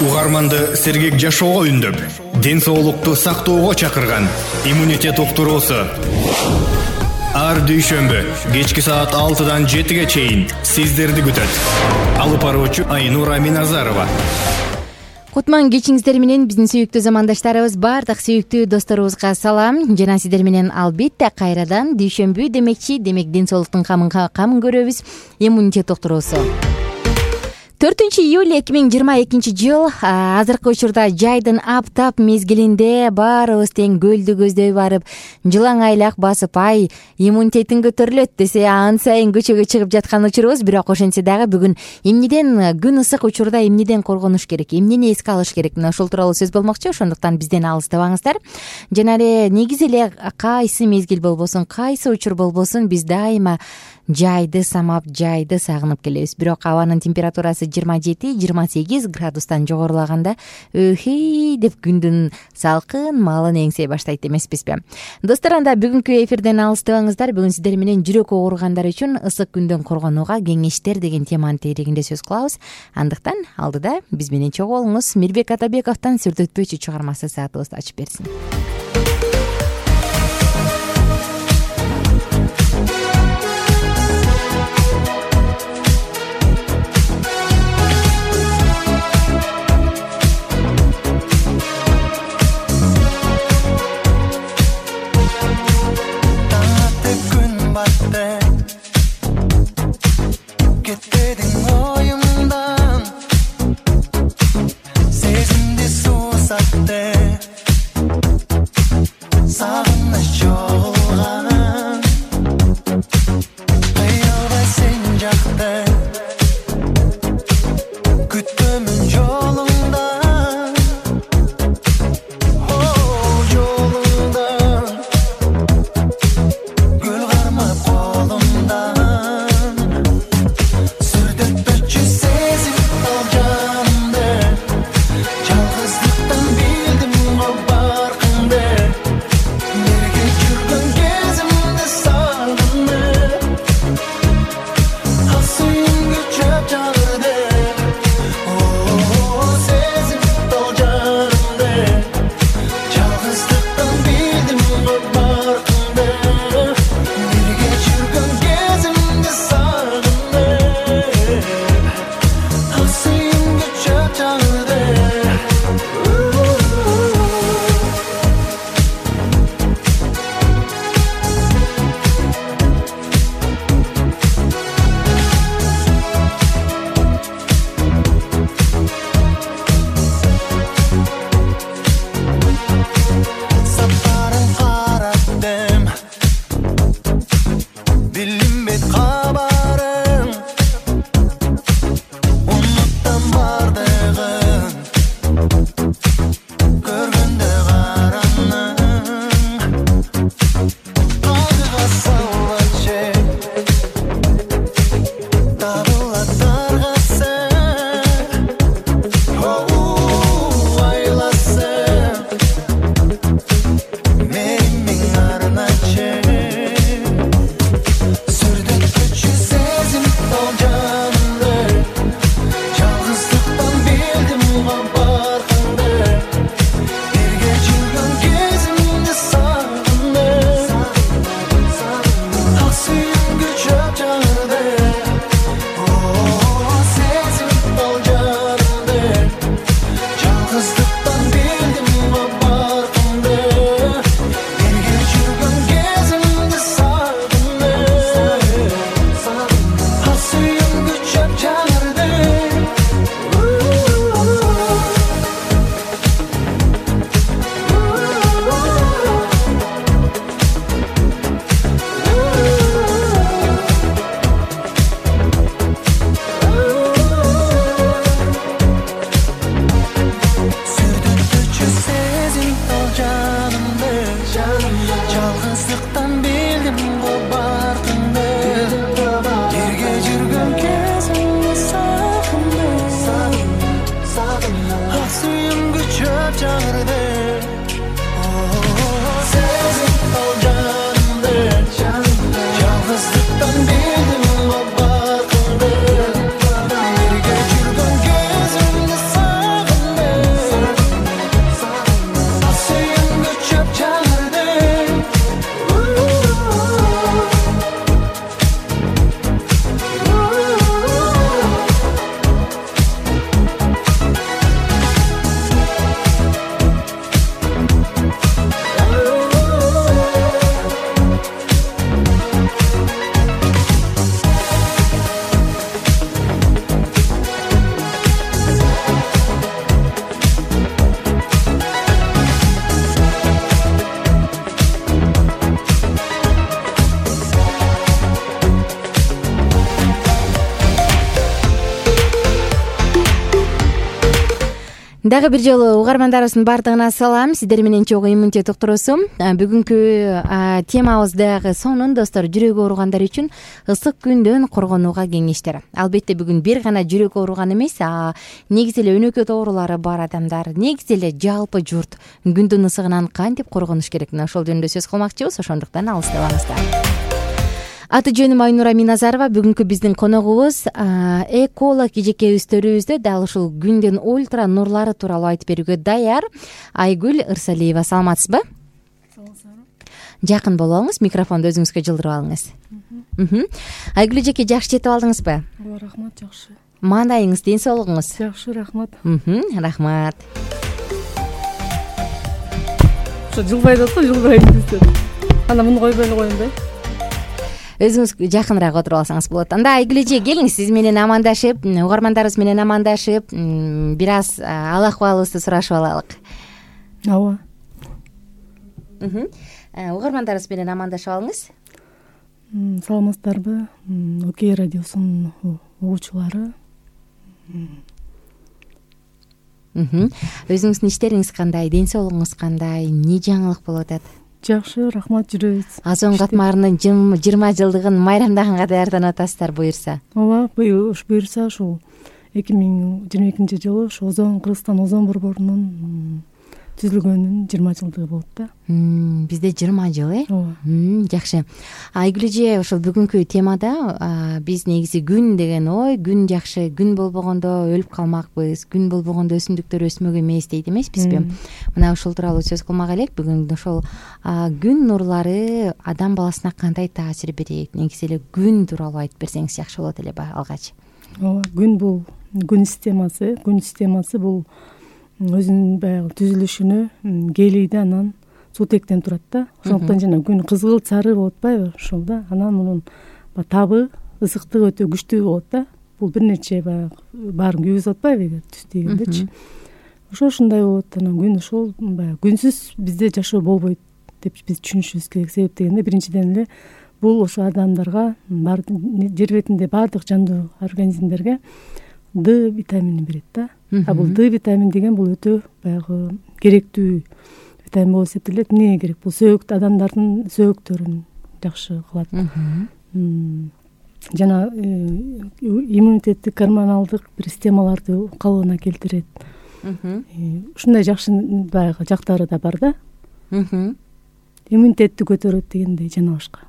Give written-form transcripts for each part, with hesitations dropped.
Угарманды сергек жашоого үндөп, ден соолукту сактоого чакырган иммунитет уктуруусу. Ар дүйшөмбү кечки саат 6-дан 7-ге чейин сиздерди күтөт. Алып баруучу Айнура Миназарова. Кутман кечиңиздер менен биздин сүйүктүү замандаштарыбыз, бардык сүйүктүү досторубузга салам. Жана сиздер менен албетте кайрадан дүйшөмбү демекчи, демек ден соолуктун кам көрөбүз. Иммунитет уктуруусу. 4-июль 2022 жыл. Азыркы учурда жайдын аптап мезгилинде баарыбыз тең көлдү көздөй барып, жылаң айлак басып, иммунитетин көтөрүлөт десе, ан сайын көчөгө чыгып жаткан учурубуз. Бирок ошентсе дагы бүгүн эмнеден, күн ысык учурда эмнеден коргонуш керек, эмнени эске алыш керек, мына ушул тууралуу сөз болмокчу. Ошондуктан бизден алыстабаңыздар. Жана эле негизи эле кайсы мезгил болбосун, кайсы учур болбосун, биз дайыма жайды самап, жайды сагынып келебиз. Бирок абанын температурасы 27-28 градустан жогорулаганда деп күндүн салкын маалын эңсей баштайт эмеспизби? Достор, анда бүгүнкү эфирден алыстабаңыздар. Бүгүн сиздер менен жүрөк ооругандар үчүн ысык күндөн коргонууга кеңештер деген теманын тегерегинде сөз кылабыз. Андыктан алдыда биз менен чогуу болуңуз. Мирбек Атабековдон Сүрдөтпөчү чыгармасы саатыбызды ачып берсин. Дагы бир жолу угармандарыбыздын баардыгына салам. Сиздер менен чогуу иммунитет уктуруусу. Бүгүнкү темабыз дагы сонун достор, жүрөгү ооругандар үчүн ысык күндөн коргонууга кеңештер. Албетте бүгүн бир гана жүрөк ооруган эмес, негизи эле өнөкөт оорулары бар адамдар, негизи эле жалпы журт күндүн ысыгынан кантип коргонуш керек, мына ошол жөнүндө сөз кылмакчыбыз. Ошондуктан алыстабаңыздар. Аты жөнүм Айнура Миназарова. Бүгүнкү биздин коногубуз эколог эжекебиздөрүбүздө дал ушул күндүн ультра нурлары тууралуу айтып берүүгө даяр Айгүл Ырсалиева. Саламатсызбы? Жакын болуңуз, микрофонду өзүңүзгө жылдырып алыңыз. Айгүл эжеке, жакшы жетип алдыңызбы? Ооба, рахмат, жакшы. Маанайыңыз, ден соолугуңуз? Жакшы, рахмат. Рахмат. Ошо жылбайт атпы, жылбайт десем. Анда муну койбой эле коеюн да. Өзүңүз жакыныраак отуруп алсаңыз болот. Анда Айгүл эже, келиңиз, сиз менен амандашып, угармандарыбыз менен амандашып, бир аз ал акыбалыбызды сурашып алалык. Ооба. Угармандарыбыз менен амандашып алыңыз. Саламатсыздарбы? Окей радиосунун угуучулары. Өзүңүздүн иштериңиз кандай, ден соолугуңуз кандай, эмне жаңылык болуп атат? Жакшы, рахмат, жүрөбүз. Озон катмарынын 20 жылдыгын майрамдаганга даярданып атасыздар, буюрса. Ооба, буюрса ушул 2022 жылы ушу Кыргызстан Озон борборунун түзүлгөнүнүн 20 жылдыгы болот да. Бизде 20 жыл, Ооба. Жакшы. Айгүл эже, ошол бүгүнкү темада биз негизи күн деген ой, күн жакшы, күн болбогондо өлүп калмакпыз, күн болбогондо өсүмдүктөр өсмөк эмес дейт эмеспизби? Мына ушул тууралуу сөз кылмак элек. Бүгүн ошол күн нурлары адам баласына кандай таасир берет, негизи эле күн тууралуу айтып берсеңиз жакшы болот эле алгач. Ооба, күн бул күн системасы бул өзүнүн баягы түзүлүшүнө келийди, анан суутектен турат да. Ошондуктан жана күн кызгылт сары болуп атпайбы ошол да. Анан мунун табы, ысыктыгы өтө күчтүү болот да. Бул бир нече баягы баарын күйгүзүп атпайбы эгер түз тийгендечи. Ошондой болот. Анан күн ошол баягы күнсүз бизде жашоо болбойт деп биз түшүнүшүбүз керек. Себеп дегенде биринчиден эле бул ошо адамдарга, жер бетинде баардык жандуу организмдерге Д витаминин берет да. Бул Д витамин деген бул өтө баягы керектүү витамин болуп эсептелет. Эмнеге керек? Бул адамдардын сөөгүктөрүн жакшы кылат. Жана иммунитеттик, гормоналдык бир системаларды калыбына келтирет. Ушундай жакшы баягы жактары да бар да. Иммунитетти көтөрөт дегендей жана башка.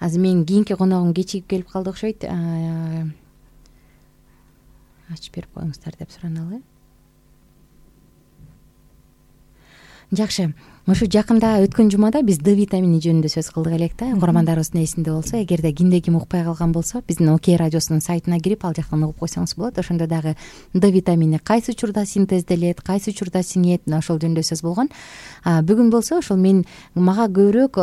Азыр менин кийинки коногум кечигип келип калды окшойт. Ачып берип коюңуздар деп сураналы. Жакшы. Ошо жакында өткөн жумада биз Д витамини жөнүндө сөз кылдык элек да. Угармандарыбыздын эсинде болсо, эгерде кимде ким укпай калган болсо, биздин Окей радиосунун сайтына кирип, ал жактан угуп койсоңуз болот. Ошондо дагы Д витамини кайсы учурда синтезделет, кайсы учурда сиңет, ошол жөнүндө сөз болгон. Бүгүн болсо ошол мага көбүрөөк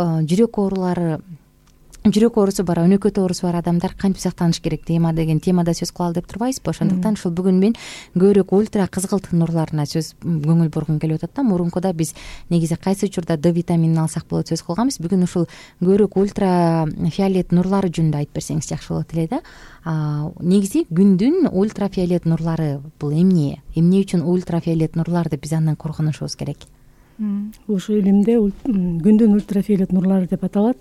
жүрөк оорусу бар, өнөкөт оорусу бар адамдар кантип сактаныш керек деген темада сөз кылалы деп турбайбызбы? Ошондуктан ушул бүгүн мен көбүрөөк ультра кызгылт нурларына көңүл бургум келип атат да. Мурункуда биз негизи кайсы учурда Д витаминин алсак болот сөз кылганбыз. Бүгүн ушул көбүрөөк ультра фиолет нурлары жөнүндө айтып берсеңиз жакшы болот эле да. Негизи күндүн ультра фиолет нурлары бул эмне үчүн ультра фиолет нурлар деп биз андан коргонушубуз керек? Ошо илимде күндүн ультра фиолет нурлары деп аталат.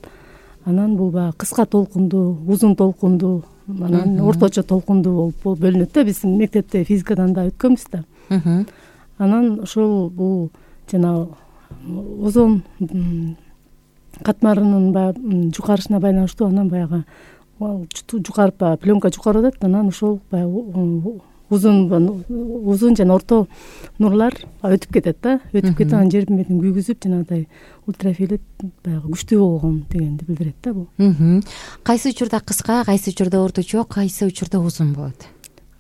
Анан бул баягы кыска толкундуу, узун толкундуу, анан орточо толкундуу болуп бөлүнөт да. Биз мектепте физикадан да өткөнбүз да. Анан ошол бул жана озон катмарынын баягы жукарышына байланыштуу, анан баягы жукарып пленка жукарып атат. Анан ошол баягы узун жана орто нурлар өтүп кетет да. Өтүп кетип анан жер бетин күйгүзүп, жанагыдай ультрафиолет баягы күчтүү болгон дегенди билдирет да бул. Кайсы учурда кыска, кайсы учурда орточо, кайсы учурда узун болот?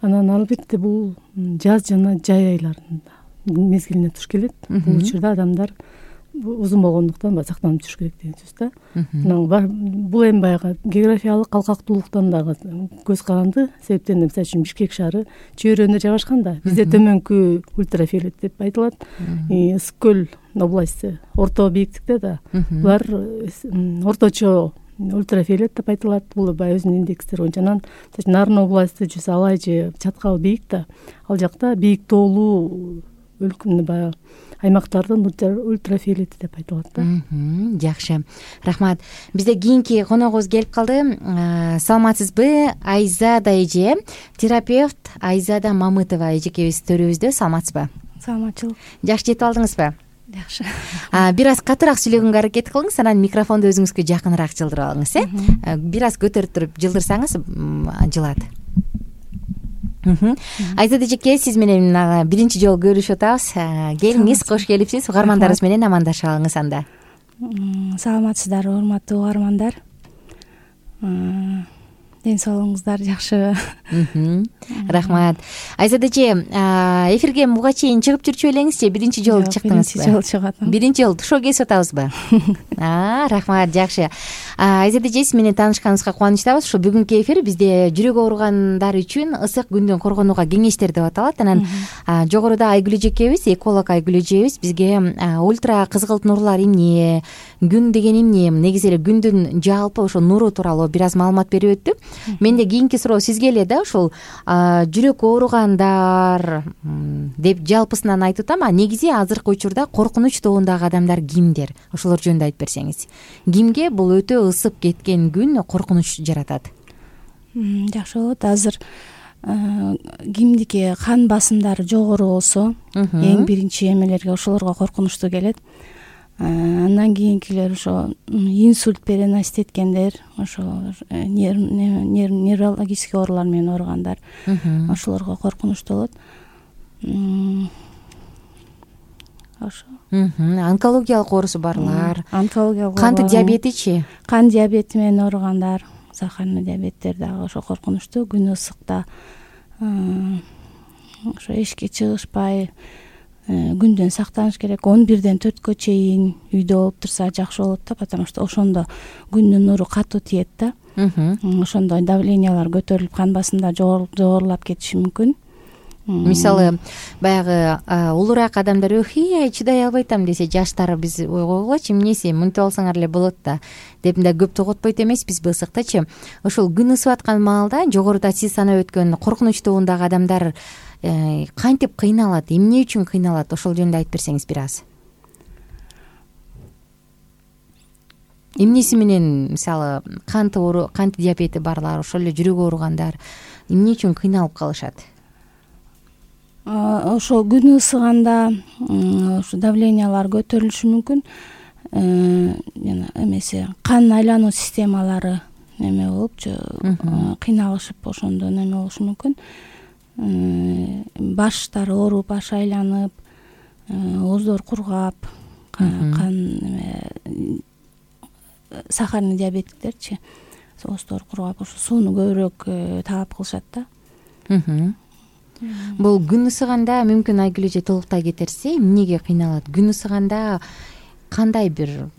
Анан албетте бул жаз жана жай айларында мезгилине туш келет. Бул учурда адамдар узун болгондуктан сактанып жүрүш керек деген сөз да. Бул эми баягы географиялык калкактуулуктан дагы көз каранды. Себептен мисалы үчүн Бишкек шаары чөйрөдө жайгашкан да. Бизде төмөнкү ультрафиолет деп айтылат. Ысык көл области орто бийиктикте да. Булар орточо ультрафиолет деп айтылат. Бул баягы өзүнүн индекстери боюнча. Анан Нарын областы жүз алай же чаткал бийик да, ал жакта бийик тоолуу баягы аймактардын ультрафиолети деп айтылат да. Жакшы, рахмат. Бизде кийинки коногубуз келип калды. Саламатсызбы? Айзада эже, терапевт Айзада Мамытова эжекебиз төрүбүздө. Саламатсызбы? Саламатчылык. Жакшы жетип алдыңызбы? Жакшы. Бир аз катыраак сүйлөгөнгө аракет кылыңыз, анан микрофонду өзүңүзгө жакыныраак жылдырып алыңыз, бир аз көтөрүп туруп жылдырсаңыз жылат. Айзада эжеке, сиз менен биринчи жолу көрүшүп атабыз. Келиңиз, кош келипсиз. Угармандарыбыз менен амандашып алыңыз анда. Саламатсыздарбы, урматтуу угармандар? Ден соолугуңуздар жакшыбы? Рахмат. Айзада эже, эфирге буга чейин чыгып жүрчү белеңизчи? Биринчи жолу чыктыңызбы? Биринчи жолу чыгып атам. Биринчи жолу тушоо кесип атабызбы? Рахмат, жакшы. Айзада эже, сиз менен таанышканыбызга кубанычтабыз. Ушу бүгүнкү эфир бизде жүрөк ооругандар үчүн ысык күндөн коргонууга кеңештер деп аталат. Анан жогоруда Айгүл эжекебиз, эколог Айгүл эжебиз бизге ультра кызгылт нурлар эмне, күн деген эмне, негизи эле күндүн жалпы ошо нуру тууралуу бир аз маалымат берип өттү. Менде кийинки суроо сизге эле да, ушул жүрөк ооругандар деп жалпысынан айтып атам, негизи азыркы учурда коркунуч тобундагы адамдар кимдер? Ошолор жөнүндө айтып берсеңиз. Кимге бул өтө ысып кеткен күн коркунуч жаратат? Жакшы болот. Азыр кимдики кан басымдары жогору болсо, эң биринчи эмелерге ошолорго коркунучтуу келет. Андан кийинкилер ошо инсульт переносить эткендер, ошо неврологический оорулар менен ооругандар, ошолорго коркунучтуу болот. Ошо. Онкологиялык оорусу барлар. Онкологиялык. Кант диабетичи? Кан диабети менен ооругандар, сахарный диабеттер дагы ошо коркунучтуу. Күн ысыкта ошо эшикке чыгышпай күндөн сактаныш керек. 11-ден 4кө чейин үйдө болуп турса жакшы болот да, потому что ошондо күндүн нуру катуу тиет да. Ошондо давлениялар көтөрүлүп, кан басымдар жогорулап кетиши мүмкүн. Мисалы, баягы улураак адамдар ай чыдай албайтам десе, жаштар биз ойгойлочу эмнеси, мынтип алсаңар эле болот да деп да көп тоготпойт эмеспизби ысыктачы. Ошол күн ысып аткан маалда жогоруда сиз санап өткөн коркунуч тобундагы адамдар кантип кыйналат, эмне үчүн кыйналат? Ошол жөнүндө айтып берсеңиз бир аз. Эмнеси менен, мисалы, кант диабети барлар, ошол эле жүрөк ооругандар эмне үчүн кыйналып калышат? Ошо күн ысыганда ошо давлениялар көтөрүлүшү мүмкүн. Жана эмеси кан айлануу системалары неме болупчу, кыйналышып ошондо неме болушу мүмкүн. Баштары ооруп, баш айланып, ооздор кургап, сахарный диабетиктерчи ооздор кургап, ошо сууну көбүрөөк талап кылышат да. Бул күн ысыганда мүмкүн Айгүл эже толуктай кетерсе, эмнеге кыйналат? Күн ысыганда кандай бир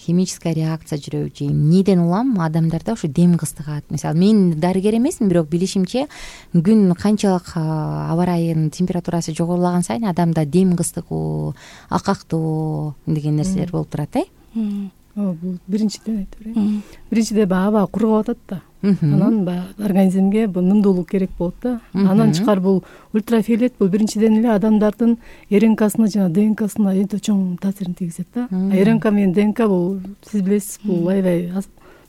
химическая реакция жүрөбү же эмнеден улам адамдарда ошо дем кыстыгат? Мисалы, мен дарыгер эмесмин, бирок билишимче күн канчалык аба ырайынын температурасы жогорулаган сайын адамда дем кыстыгуу, акактоо деген нерселер болуп турат, Бул биринчиден айтып берейин. Биринчиден баягы аба кургап атат да. Анан баягы организмге бул нымдуулук керек болот да. Анан чыкар бул ультрафиолет, бул биринчиден эле адамдардын РНКсына жана ДНКсына өтө чоң таасирин тийгизет да. РНК менен ДНК бул сиз билесиз, бул аябай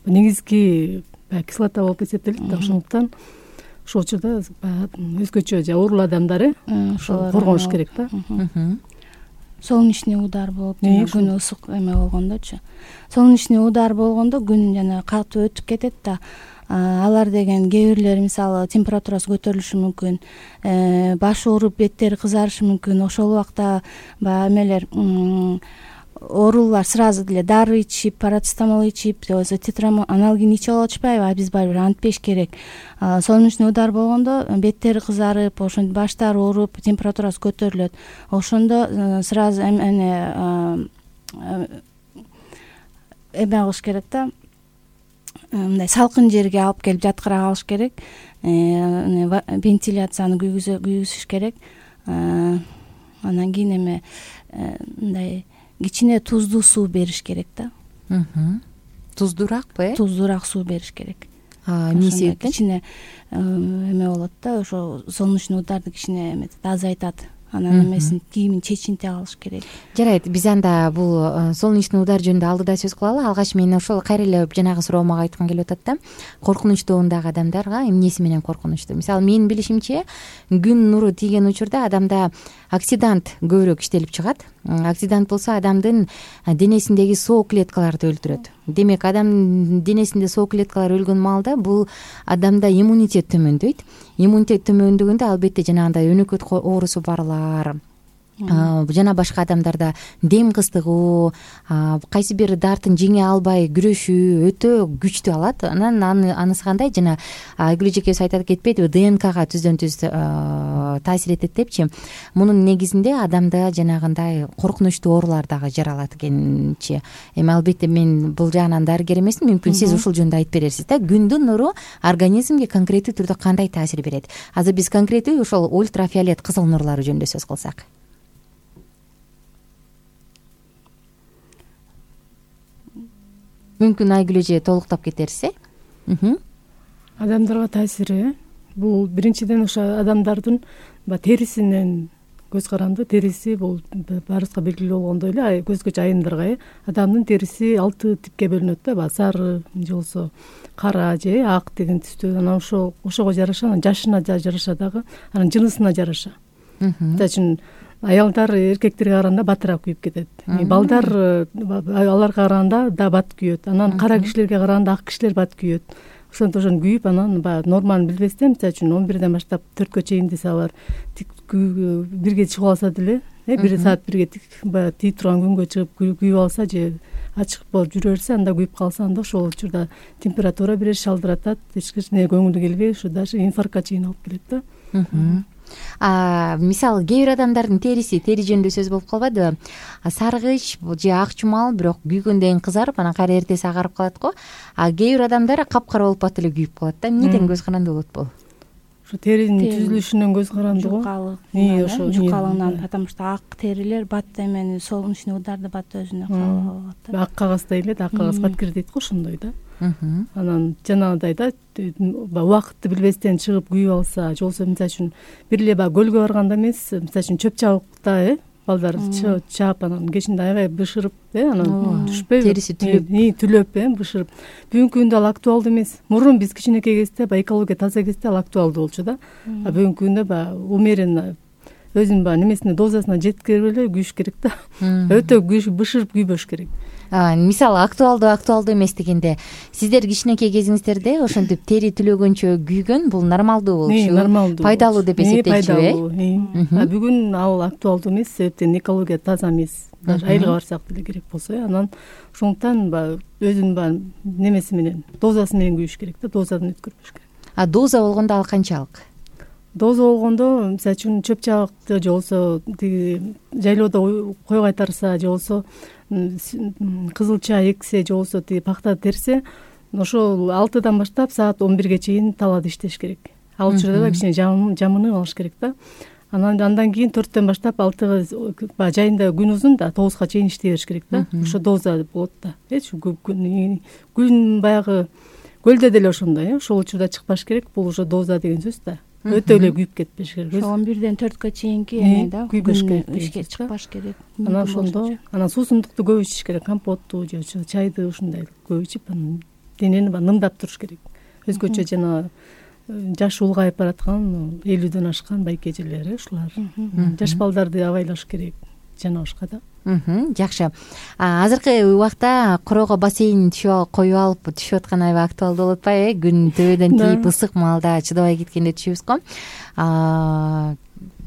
негизги кислота болуп эсептелет да. Ошондуктан ошол учурда баягы өзгөчө оорулуу адамдар ошол коргонуш керек да. Солнечный удар болуп, күн ысык эме болгондочу. Солнечный удар болгондо күн жана катуу өтүп кетет да. Алар деген кээ бирлери мисалы температурасы көтөрүлүшү мүмкүн, башы ооруп, беттери кызарышы мүмкүн. Ошол убакта баягы эмелер оорулар сразу деле дары ичип, парацетамол ичип, же аналгин ичип алып атышпайбы? А биз барбир антпеш керек. Солнечный удар болгондо беттери кызарып, ошондо баштары ооруп, температурасы көтөрүлөт. Ошондо сразу эме кылыш керек да. Мындай салкын жерге алып келип жаткыра калыш керек. Вентиляцияны күйгүзүш керек. Анан кийин эме мындай кичине туздуу суу бериш керек да. туздураакпы? Туздуураак суу бериш керек. Эмне себептен? Кичине эме болот да, ошо солнечный ударды кичине эметет, азайтат. Анан эмесин кийимин чечинте алыш керек. Жарайт, биз анда бул солнечный удар жөнүндө алдыда сөз кылалы. Алгач мен ошол кайра эле жанагы суроомо айткым келип атат да. Коркунучтуу ондагы адамдарга эмнеси менен коркунучтуу? Мисалы, менин билишимче, күн нуру тийген учурда адамда оксидант көбүрөөк иштелип чыгат. Оксидант болсо адамдын денесиндеги соо клеткаларды өлтүрөт. Демек, адам денесинде соо клеткалар өлгөн маалда бул адамда иммунитет төмөндөйт. Иммунитет төмөндөгөндө албетте жанагындай өнөкөт оорусу барлар, жана башка адамдарда дем кыстыгуу, кайсы бир дартын жеңе албай күрөшүү өтө күчтүү алат. Анан анысы кандай, жана Айгүл эжекебиз айтып кетпедиби, ДНКга түздөн түз таасир этет депчи. Мунун негизинде адамда жанагындай коркунучтуу оорулар дагы жаралат экенчи. Эми албетте мен бул жагынан дарыгер эмесмин, мүмкүн сиз ушул жөнүндө айтып берерсиз да. Күндүн нуру организмге конкреттүү түрдө кандай таасир берет? Азыр биз конкреттүү ошол ультрафиолет кызыл нурлары жөнүндө сөз кылсак. Мүмкүн Айгүл эже толуктап кетерсиз, Адамдарга таасири бул биринчиден ошо адамдардын терисинен көз каранды. Териси бул баарыбызга белгилүү болгондой эле, көзгөчө айымдарга адамдын териси 6 типке бөлүнөт да, сары же болбосо кара же ак деген түстө. Анан ошого жараша, анан жашына жараша дагы, анан жынысына жараша. Мисалы үчүн аялдар эркектерге караганда батыраак күйүп кетет. Балдар аларга караганда да бат күйөт. Анан кара кишилерге караганда ак кишилер бат күйөт. Ошон күйүп, анан норманы билбестен, мисалы үчүн 11ден баштап 4кө чейин десе алар тик бирге чыгып алса деле, 1 саат бирге тий турган күнгө чыгып күйүп алса же ачык болуп жүрө берсе, анда күйүп калса, анда ошол учурда температура берет, шалдыратат, эч кичине көңүлү келбей, ушу даже инфарктка чейин алып келет да. Мисалы, кээ бир адамдардын тери жөнүндө сөз болуп калбадыбы? Саргыч же ак чумал, бирок күйгөндөн кызарып, анан кайра эртеси агарып калат го. Кээ бир адамдар капкара болуп бат эле күйүп калат да. Эмнеден көз каранды болот бул? Ошо теринин түзүлүшүнөн көз каранды го. Жукалыгынан, потому что ак терилер бат эмени, солнечный ударды бат өзүнө кабыл алат да. Ак кагаздай эле, ак кагаз баткир дейт го, ошондой да. Анан жанагыдай да, убакытты билбестен чыгып күйүп алса, же болбосо мисалы үчүн бир эле көлгө барганда эмес, мисалы үчүн чөп чабыкта балдар чаап, анан кечинде аябай бышырып, анан түшпөйбү, териси түлөп бышырып. Бүгүнкү күндө ал актуалдуу эмес. Мурун биз кичинекей кезде экология таза кезде ал актуалдуу болчу да. Бүгүнкү күндө умеренно өзүнүн немесине, дозасына жеткирип эле күйүш керек да. Өтө бышырып күйбөш керек. Мисалы, актуалдуу эмес дегенде, сиздер кичинекей кезиңиздерде ошентип тери түлөгөнчө күйгөн, бул нормалдуу болчу, пайдалуу деп эсептелчү. Бүгүн ал актуалдуу эмес, себептен экология таза эмес. Даже айылга барсак деле керек болсо, анан ошондуктан өзүнүн немеси менен, дозасы менен күйүш керек да, дозадан өткөрбөш керек. Доза болгондо ал канчалык? Доза болгондо, мисалы үчүн чөп чабыкты же болбосо жайлоодо кой кайтарса, же болбосо кызылча эксе, же болбосо пакта терсе, ошол 6дан баштап саат 11ге чейин талаада иштеш керек. Ал учурда да кичине жамынып алыш керек да. Андан кийин 4төн баштап 6га жайында күн узун да 9га чейин иштей бериш керек да. Ошо доза болот да. Күн баягы көлдө деле ошондой, ошол учурда чыкпаш керек. Бул ошо доза деген сөз да. Өтө эле күйүп кетпеш керек. 11ден 4кө чейинки эме да, күйбөш керек, ишке чыкпаш керек. Анан ошондо, анан суусундукту көп ичиш керек, компотту же чайды ушундай көп ичип, анан денени нымдап туруш керек. Өзгөчө жана жаш улгайып бараткан, 50дөн ашкан байке эжелер, ушулар жаш балдарды абайлаш керек, жана башка да. Жакшы. Азыркы убакта короого бассейн коюп алып түшүп аткан аябай актуалдуу болуп атпайбы? Күн төбөдөн тийип ысык маалда чыдабай кеткенде түшүбүз го.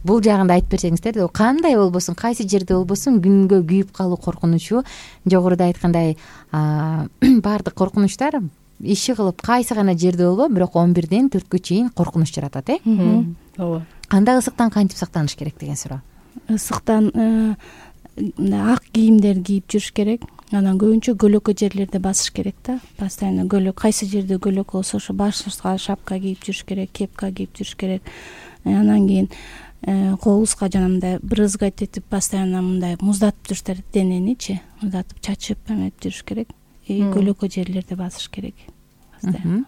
Бул жагында айтып берсеңиздер, кандай болбосун, кайсы жерде болбосун күнгө күйүп калуу коркунучу, жогоруда айткандай баардык коркунучтар иши кылып кайсы гана жерде болбо, бирок 11ден 4кө чейин коркунуч жаратат, ооба. Кандай ысыктан кантип сактаныш керек деген суроо. Ысыктан ак кийимдер кийип жүрүш керек. Анан көбүнчө көлөкө жерлерде басыш керек да. Постоянно кайсы жерде көлөк болсо ошо башыбызга шапка кийип жүрүш керек, кепка кийип жүрүш керек. Анан кийин колубузга жанагындай брызгать этип, постоянно мындай муздатып жүрүш керек, дененичи муздатып, чачып эметип жүрүш керек. көлөкө жерлерде басыш керек постоянно.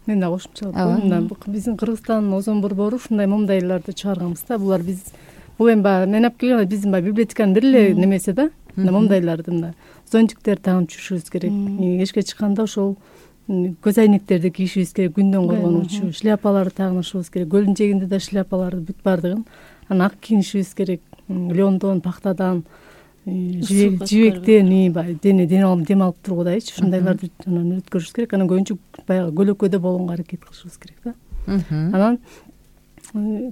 Мен да кошумчалап мына биздин Кыргызстандын озон борбору ушундай момундайларды чыгарганбыз да. Бул эми баягы мен алып келген биздин баягы библиотеканын бир эле немеси да. Момундайларды мына зонтиктер тагып жүрүшүбүз керек. Эшикке чыкканда ошол көз айнектерди кийишибиз керек, күндөн коргонуучу, шляпаларды тагынышыбыз керек. Көлдүн жээгинде да шляпаларды бүт баардыгын анан ак кийинишибиз керек. Леондон, пахтадан, жибектен баягы дем алып тургудайчы ушундайларды анан өткөрүшүбүз керек. Анан көбүнчө баягы көлөкөдө болгонго аракет кылышыбыз керек да. Анан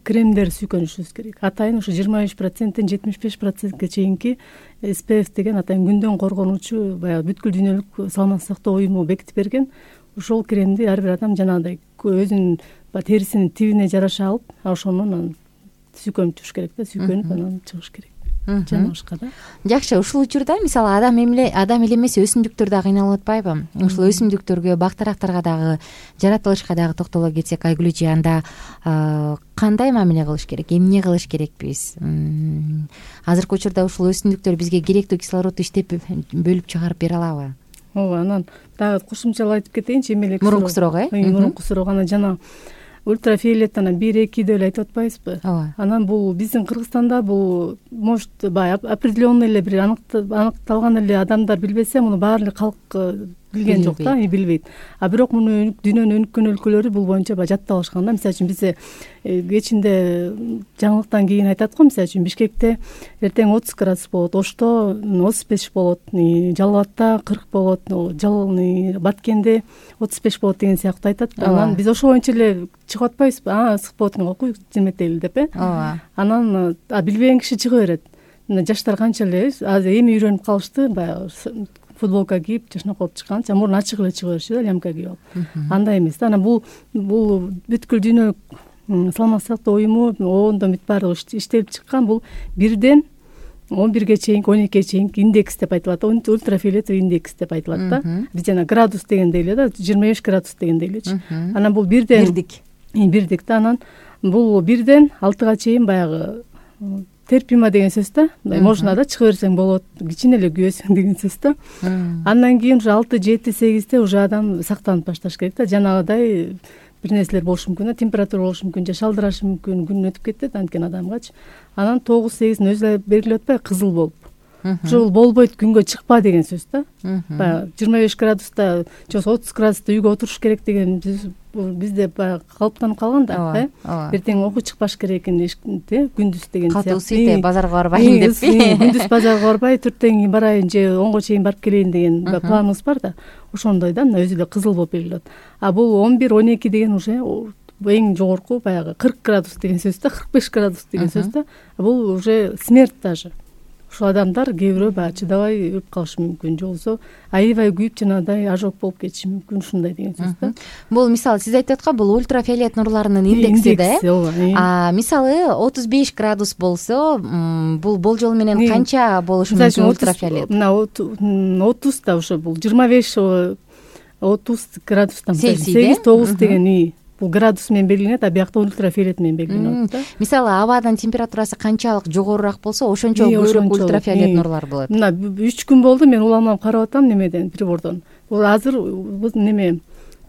кремдер сүйкөнүшүбүз керек. Атайын ушу 25%, 75%ге чейинки SPF деген атайын күндөн коргонуучу баягы бүткүл дүйнөлүк саламаттык сактоо уюму бекитип берген ошол кремди ар бир адам жанагындай өзүнүн терисинин тибине жараша алып, ошону анан сүйкөнүп туруш керек да, сүйкөнүп анан чыгыш керек. Жаныбышка да. Жакшы, ушул учурда мисалы адам эле эмес өсүмдүктөр да кыйналып атпайбы? Ушул өсүмдүктөргө, бактарактарга дагы, жаратылышка дагы токтоло кетсек, Айгүл эже, анда кандай мамиле кылыш керек, эмне кылыш керекпиз? Азыркы учурда ушул өсүмдүктөр бизге керектүү кислородду иштеп бөлүп чыгарып бере алабы? Ооба, анан дагы кошумчалап айтып кетейинчи, эмелек мурунку суроого, мурунку суроого анан жана ультрафиолет анан 1-2 деп эле айтып атпайбызбы? Ооба. Анан бул биздин Кыргызстанда бул может баягы определенный эле бир аныкталган эле адамдар билбесе, муну баары эле калк билген жок да, билбейт. А бирок муну дүйнөнүн өнүккөн өлкөлөрү бул боюнча баягы жаттап алышкан да. Мисалы үчүн бизде кечинде жаңылыктан кийин айтат го, мисалы үчүн Бишкекте эртең 30 градус болот, Ошто 35 болот, Жалал Абадта 40 болот, Баткенде 35 болот деген сыяктуу айтат. Анан биз ошо боюнча эле чыгып атпайбызбы? Ысык болот экен го, жеметели деп Ооба. Анан билбеген киши чыга берет. Жаштар канча эле азыр эми үйрөнүп калышты, баягы футболка кийип, чашмак болуп чыкканча мурун ачык эле чыга беришчү да, лямка кийип алып. Андай эмес да. Анан бул бүткүл дүйнөлүк саламаттык сактоо уюму оондон бүт баардыгы иштелип чыккан бул 1ден 11ге чейинки, 12ге чейинки индекс деп айтылат. Ультрафиолет индекс деп айтылат да. Биз жана градус дегендей эле да, 25 градус дегендей элечи. Анан бул 1ден бирдик да. Анан бул 1ден 6га чейин баягы терпимо деген сөз да. Можно да чыга берсең болот, кичине эле күйөсүң деген сөз да. Андан кийин уже 6, 7, 8де уже адам сактанып башташ керек да. Жанагыдай бир нерселер болушу мүмкүн да, температура болушу мүмкүн, же шалдырашы мүмкүн, күн өтүп кетет анткени адамгачы. Анан 9, 8дин өзү эле белгилеп атпайбы, кызыл болуп. Ушул болбойт, күнгө чыкпа деген сөз да. Баягы 25 градуста же 30 градуста үйгө отуруш керек деген бизде баягы калыптанып калган да. Эртең окуу чыкпаш керек экен, күндүз деген сыяктуу. Катуу сыйте базарга барбайын деппи? Күндүз базарга барбай, 4тең барайын же 10го чейин барып келейин деген планыбыз бар да. Ошондой да, өзү эле кызыл болуп белгилеп. А бул 11, 12 деген уже эң жогорку баягы 40 градус деген сөз да, 45 градус деген сөз да. Бул уже смерть даже. Ушул адамдар кээ бирөө баягы чыдабай өлүп калышы мүмкүн, же болбосо аябай күйүп жанагыдай ожог болуп кетиши мүмкүн, ушундай деген сөз да. Бул мисалы сиз айтып аткан бул ультрафиолет нурларынын индекси да, э? Мисалы 35 градус болсо, бул болжол менен канча болушу мүмкүн ультрафиолет? Мына 30 да, ошо бул 25-30 градустан 8-9 деген бул градус менен белгиленет, а биякта ультрафиолет менен белгиленет да. Мисалы абанын температурасы канчалык жогорураак болсо, ошончо көбүрөөк ультрафиолет нурлар болот. Мына 3 күн болду мен уламалап карап атам немеден, прибордон. Бул азыр неме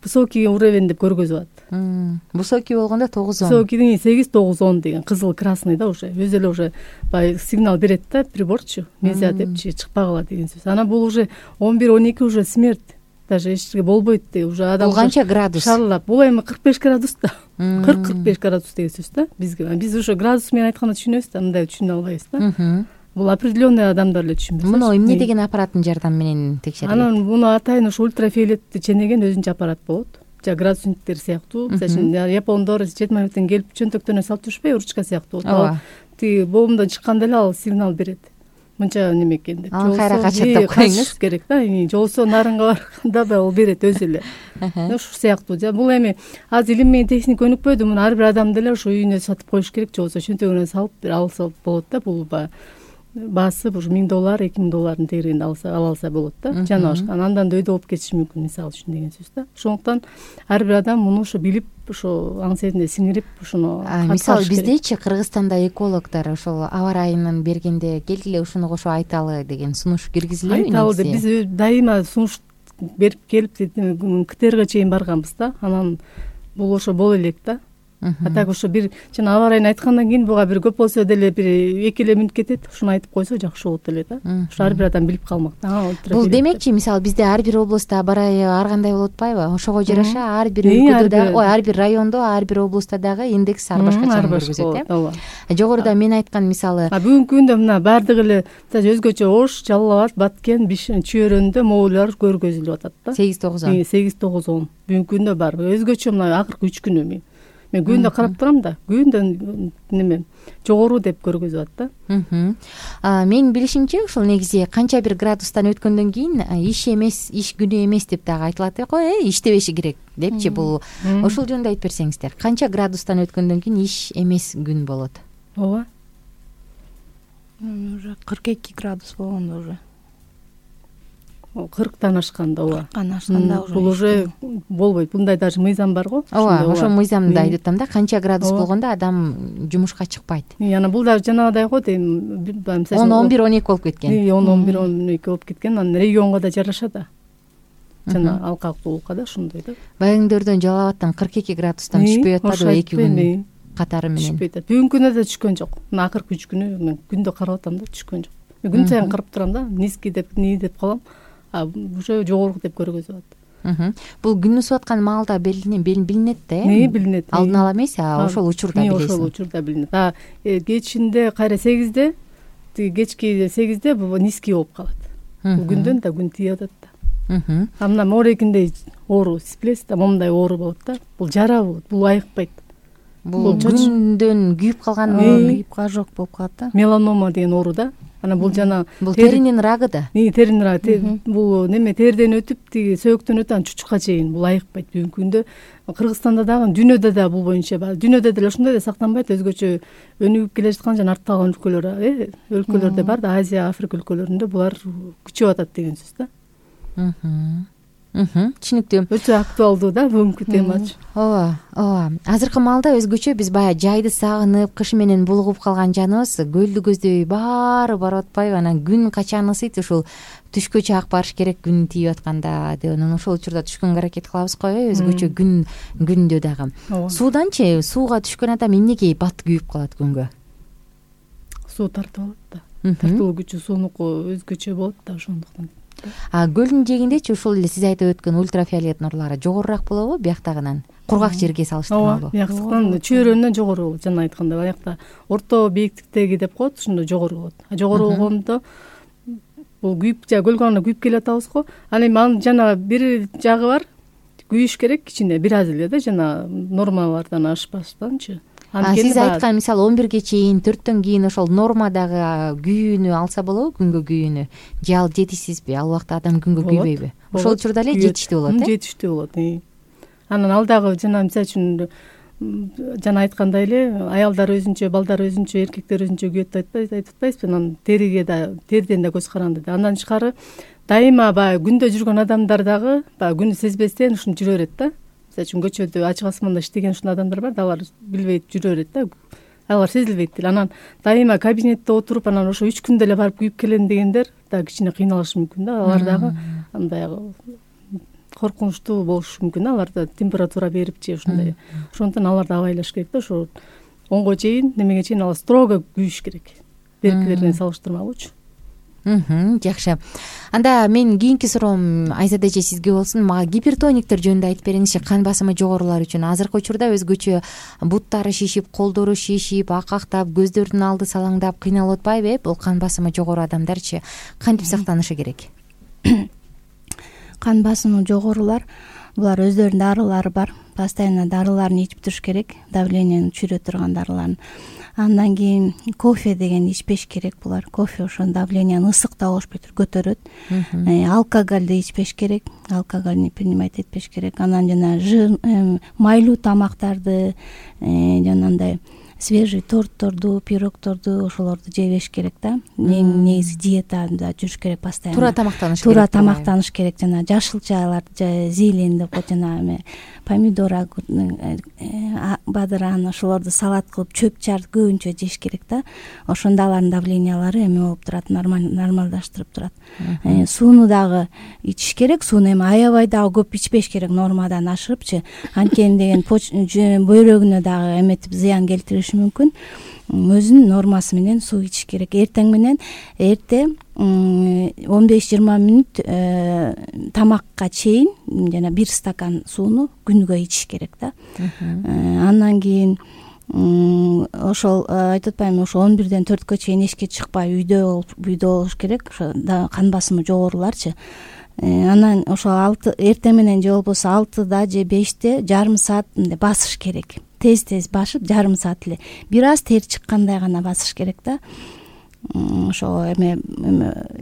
высокий уровень деп көргөзүп атат. Высокий болгондо 9-10. Высокийдин 8-9-10 деген кызыл красный да, уже өзү эле уже баягы сигнал берет да, приборчу. Нельзя депчи, чыкпагыла деген сөз. Анан бул уже 11-12 уже смерть. Даже эчтеке болбойт деп уже адам. Бул канча градус? Шарлап. Бул эми 45 градус да. 40-45 градус деген сөз да. Биз уже градус менен айтканда түшүнөбүз да, мындай түшүнө албайбыз да. Бул определенный адамдар эле түшүнөт. Муну эмне деген аппараттын жардамы менен текшерилет? Анан муну атайын ушу ультрафиолетти ченеген өзүнчө аппарат болот. Жа градусниктер сыяктуу. Мисалы үчүн япондор 7 минуттан келип чөнтөктөрүнө салып жүрүшпөйбү, ручка сыяктуу. Тиги боомдон чыкканда эле ал сигнал берет. Мынча неме экен деп. Кайра качаттап коюңуз керек да. Же болбосо нарынга барганда да ал берет өзү эле. Ушул сыяктуу. Бул эми азыр илим менен техника өнүкпөдү, муну ар бир адам деле ошо үйүнө сатып коюш керек, же болбосо чөнтөгүнө салып алса болот да. Бул баасы ушу $1000, $2000 тегерегинде ала алса болот да. Жана башка андан да өйдө болуп кетиши мүмкүн, мисалы үчүн деген сөз да. Ошондуктан ар бир адам муну ошо билип ошо аң себебинде сиңирип ошону мисалы биздечи Кыргызстанда экологдор ошол аба ырайынын бергенде келгиле ушуну кошо айталы деген сунуш киргизилеби? Айталы деп биз дайыма сунуш берип келип КТРга чейин барганбыз да. Анан бул ошо боло элек да. А так ошо бир жана аба ырайын айткандан кийин буга бир көп болсо деле бир 2 эле мүнөт кетет, ошону айтып койсо жакшы болот эле да. Ошо ар бир адам билип калмак да. Бул демекчи, мисалы бизде ар бир облустта аба ырайы ар кандай болуп атпайбы? Ошого жараша ар бир өлкөдө дагы, ар бир райондо, ар бир облустта дагы индекс ар башкача көргөзөт, ооба. Жогоруда мен айткан мисалы бүгүнкү күндө мына баардыгы эле өзгөчө Ош, Жалал Абад, Баткен, Чөйрөндө моолор көргөзүлүп атат да. 8-9. 8-9. Бүгүнкү күндө бар. Өзгөчө мына акыркы 3 күнү мен күндө карап турам да. Күндө неме жогору деп көргөзүп атат да. Менин билишимче ушул негизи канча бир градустан өткөндөн кийин иш эмес, иш күнү эмес деп дагы айтылат эко, иштебеши керек депчи. Бул ошол жөнүндө айтып берсеңиздер. Канча градустан өткөндөн кийин иш эмес күн болот? Ооба. Уже 42 градус болгондо уже. 40тан ашканда, ооба. 40тан ашканда уже. Бул уже болбойт. Мындай даже мыйзам бар го. Ооба, ошо мыйзамды айтып атам да. Канча градус болгондо адам жумушка чыкпайт. Анан бул дагы жанагыдай го дейм. 10-11-12 болуп кеткен. 10-11-12 болуп кеткен. Анан регионго да жараша да. Жана алкактуулукка да ошондой да. Баягындөрдөн Жалал Абадтан 42 градустан түшпөй атпадыбы 2 күн катары менен? Түшпөйт. Бүгүнкү күндө да түшкөн жок. Мына акыркы 3 күнү мен күндө карап атам да, түшкөн жок. Күн сайын карап турам да, низкий деп деп калам. Уже жогору деп көргөзүп атат. Бул күн ысып аткан маалда билинет да, билинет. Алдын ала эмес, ошол учурда билесиң. Ошол учурда билинет. Кечинде кайра 8-де, кечки 8-де бул низкий болуп калат. Бул күндөн да күн тийип атат да. Мына моорекиндей оору, сиплес да момундай оору болот да. Бул жара болот, бул айыкпайт. Бул күндөн күйүп калган, күйүп ожог болуп калат да. Меланома деген оору да. Анан бул жана теринин рагы да. Теринин рагы. Бул неме терден өтүп, тиги сөөктөн өтүп, анан чучукка чейин бул айыкпайт. Бүгүнкү күндө Кыргызстанда дагы, дүйнөдө да бул боюнча бар. Дүйнөдө деле ошондой да сактанбайт. Өзгөчө өнүгүп келе жаткан жана артта калган өлкөлөрдө бар да, Азия, Африка өлкөлөрүндө булар күчөп атат деген сөз да. Түшүнүктүү. Өтө актуалдуу да бүгүнкү темачы. Ооба. Азыркы маалда өзгөчө биз баягы жайды сагынып, кыш менен булугуп калган жаныбыз көлдү көздөй баары барып атпайбы? Анан күн качан ысыйт, ушул түшкө чак барыш керек күн тийип атканда деп, анан ошол учурда түшкөнгө аракет кылабыз го, өзгөчө күндө дагы. Сууданчы, сууга түшкөн адам эмнеге бат күйүп калат күнгө? Суу тартып алат да. Тартылуу күчү суунуку өзгөчө болот да, ошондуктан. Көлдүн жээгиндечи ушул эле сиз айтып өткөн ультрафиолет нурлары жогорураак болобу бияктагынан? Кургак жерге салыштырмалуу. Бияктыктан Чөйрөндөн жогору болот. Жана айткандай, аякта орто бийиктиктеги деп коет, ошондо жогору болот. Жогору болгондо бул күйүп, көлгө аны күйүп келе атабыз го. Ал эми анын жана бир жагы бар. Күйүш керек кичине, бир аз эле да, жана нормалардан ашпастанчы. Сиз айткан мисалы 11ге чейин, 4төн кийин ошол нормадагы күйүүнү алса болобу, күнгө күйүүнү? Же ал жетишсизби? Ал убакта адам күнгө күйбөйбү? Ошол учурда эле жетиштүү болот, Жетиштүү болот. Анан ал дагы жана мисалы үчүн жана айткандай эле, аялдар өзүнчө, балдар өзүнчө, эркектер өзүнчө күйөт айтып атпайсызбы? Анан териге да, терден да көз каранды да. Андан тышкары дайыма баягы күндө жүргөн адамдар дагы баягы күнү сезбестен ушинтип жүрө берет да. Мисалы үчүн көчөдө ачык асманда иштеген ушундай адамдар бар да, алар билбейт жүрө берет да. Алар сезилбейт деле. Анан дайыма кабинетте отуруп, анан ошо 3 күндө эле барып күйүп келем дегендер да кичине кыйналышы мүмкүн да. Алар дагы андай коркунучтуу болушу мүмкүн да. Аларда температура берип же ушундай. Ошондуктан аларды абайлаш керек да. Ошо 10го чейин, немеге чейин алар строго күйүш керек. Беркилерден салыштырмалуучу. Жакшы. Анда мен кийинки суроом Айзада эже сизге болсун. Мага гипертониктер жөнүндө айтып бериңизчи. Кан басымы жогорулар үчүн азыркы учурда өзгөчө буттары шишип, колдору шишип, акактап, көздөрдүн алды салаңдап кыйналып атпайбы? Бул кан басымы жогору адамдарчы кантип сактанышы керек? Кан басымы жогорулар булар өздөрүнүн дарылары бар. Постоянно дарыларын ичип туруш керек. Давлениени түшүрө турган дарыларын. Андан кийин кофе деген ичпеш керек булар. Кофе ошо давленияны ысыктап алышпай туруп көтөрөт. Алкоголду ичпеш керек. Алкоголь не принимать этпеш керек. Анан жана майлуу тамактарды, жанагындай свежий тортторду, пирогторду ошолорду жей бериш керек да. Эң негизи диетада жүрүш керек постоянно. Туура тамактаныш керек. Туура тамактаныш керек. Жана жашылчалар, зелень деп коет, жана эме помидор, бадыран ошолорду салат кылып чөп чар көбүнчө жеш керек да. Ошондо алардын давлениялары эме болуп турат, нормалдаштырып турат. Сууну дагы ичиш керек. Сууну эми аябай дагы көп ичпеш керек, нормадан ашырыпчы. Анткени деген бөйрөгүнө дагы эметип зыян келтириши мүмкүн. Өзүнүн нормасы менен суу ичиш керек. Эртең менен эрте 15-20 мүнөт тамакка чейин жана 1 стакан сууну күнүгө ичиш керек да. Андан кийин ошол айтып атпаймынбы, ошо 11-ден 4кө чейин эшикке чыкпай үйдө болуш керек. Ошо кан басымы жогоруларчы. Анан ошо эртең менен же болбосо 6да же 5те жарым саат басыш керек. Тез башып жарым саат эле бир аз тер чыккандай гана басыш керек да. Ошо эме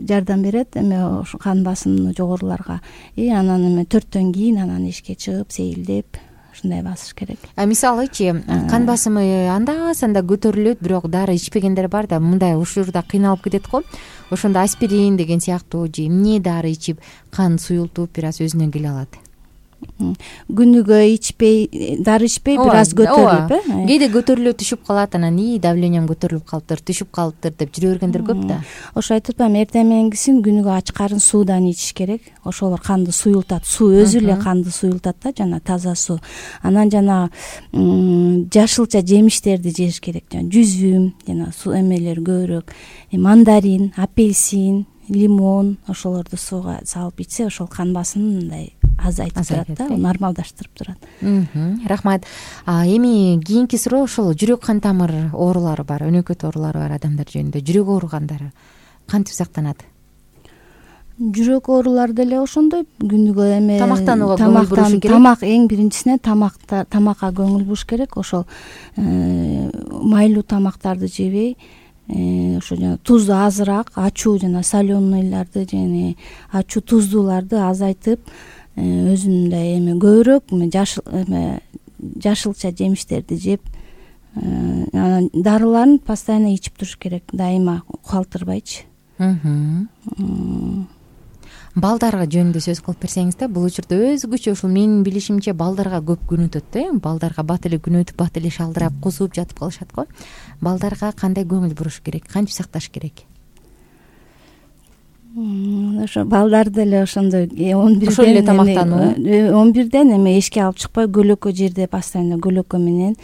жардам берет эме ошо кан басымы жогоруларга. Анан эме 4төн кийин анан эшикке чыгып сейилдеп ушундай басыш керек. Мисалычы кан басымы анда-санда көтөрүлөт, бирок дары ичпегендер бар да, мындай ушурда кыйналып кетет го. Ошондо аспирин деген сыяктуу же эмне дары ичип кан суюлтуп бир аз өзүнө келе алат. Күнүгө ичпей, дары ичпей бир аз көтөрүлүп, кээде көтөрүлүп түшүп калат, анан давлениям көтөрүлүп калыптыр, түшүп калыптыр деп жүрө бергендер көп да. Ошо айтып атпаймынбы, эртең мененгисин күнүгө ач карын суудан ичиш керек. Ошолор канды суюлтат. Суу өзү эле канды суюлтат да, жана таза суу. Анан жана жашылча жемиштерди жеш керек. Жана жүзүм, жана суу эмелер көбүрөөк, мандарин, апельсин, лимон ошолорду сууга салып ичсе, ошол кан басымын мындай азайтып турат да, нормалдаштырып турат. Рахмат. Эми кийинки суроо ошол жүрөк кан тамыр оорулары бар, өнөкөт оорулары бар адамдар жөнүндө. Жүрөк ооругандары кантип сактанат? Жүрөк оорулары деле ошондой, күнүгө эме тамактанууга көңүл буруш керек. Тамак эң биринчисинен тамакка көңүл буруш керек. Ошол майлуу тамактарды жебей, ошо жана тузду азыраак, ачуу жана соленыйларды жана ачуу туздууларды азайтып, өзүндөй эме көбүрөөк жашылча жемиштерди жеп, дарыларын постоянно ичип туруш керек, дайыма калтырбайчы. Балдарга жөнүндө сөз кылып берсеңиз да, бул учурда өзгөчө ушул менин билишимче балдарга көп күн өтөт да. Балдарга бат эле күн өтүп, бат эле шалдырап, кусуп жатып калышат го. Балдарга кандай көңүл буруш керек, кантип сакташ керек? Ошо балдар деле ошондой 11ден ошол эле тамактануу. 11ден эме эшикке алып чыкпай, көлөкө жерде постоянно көлөкө менен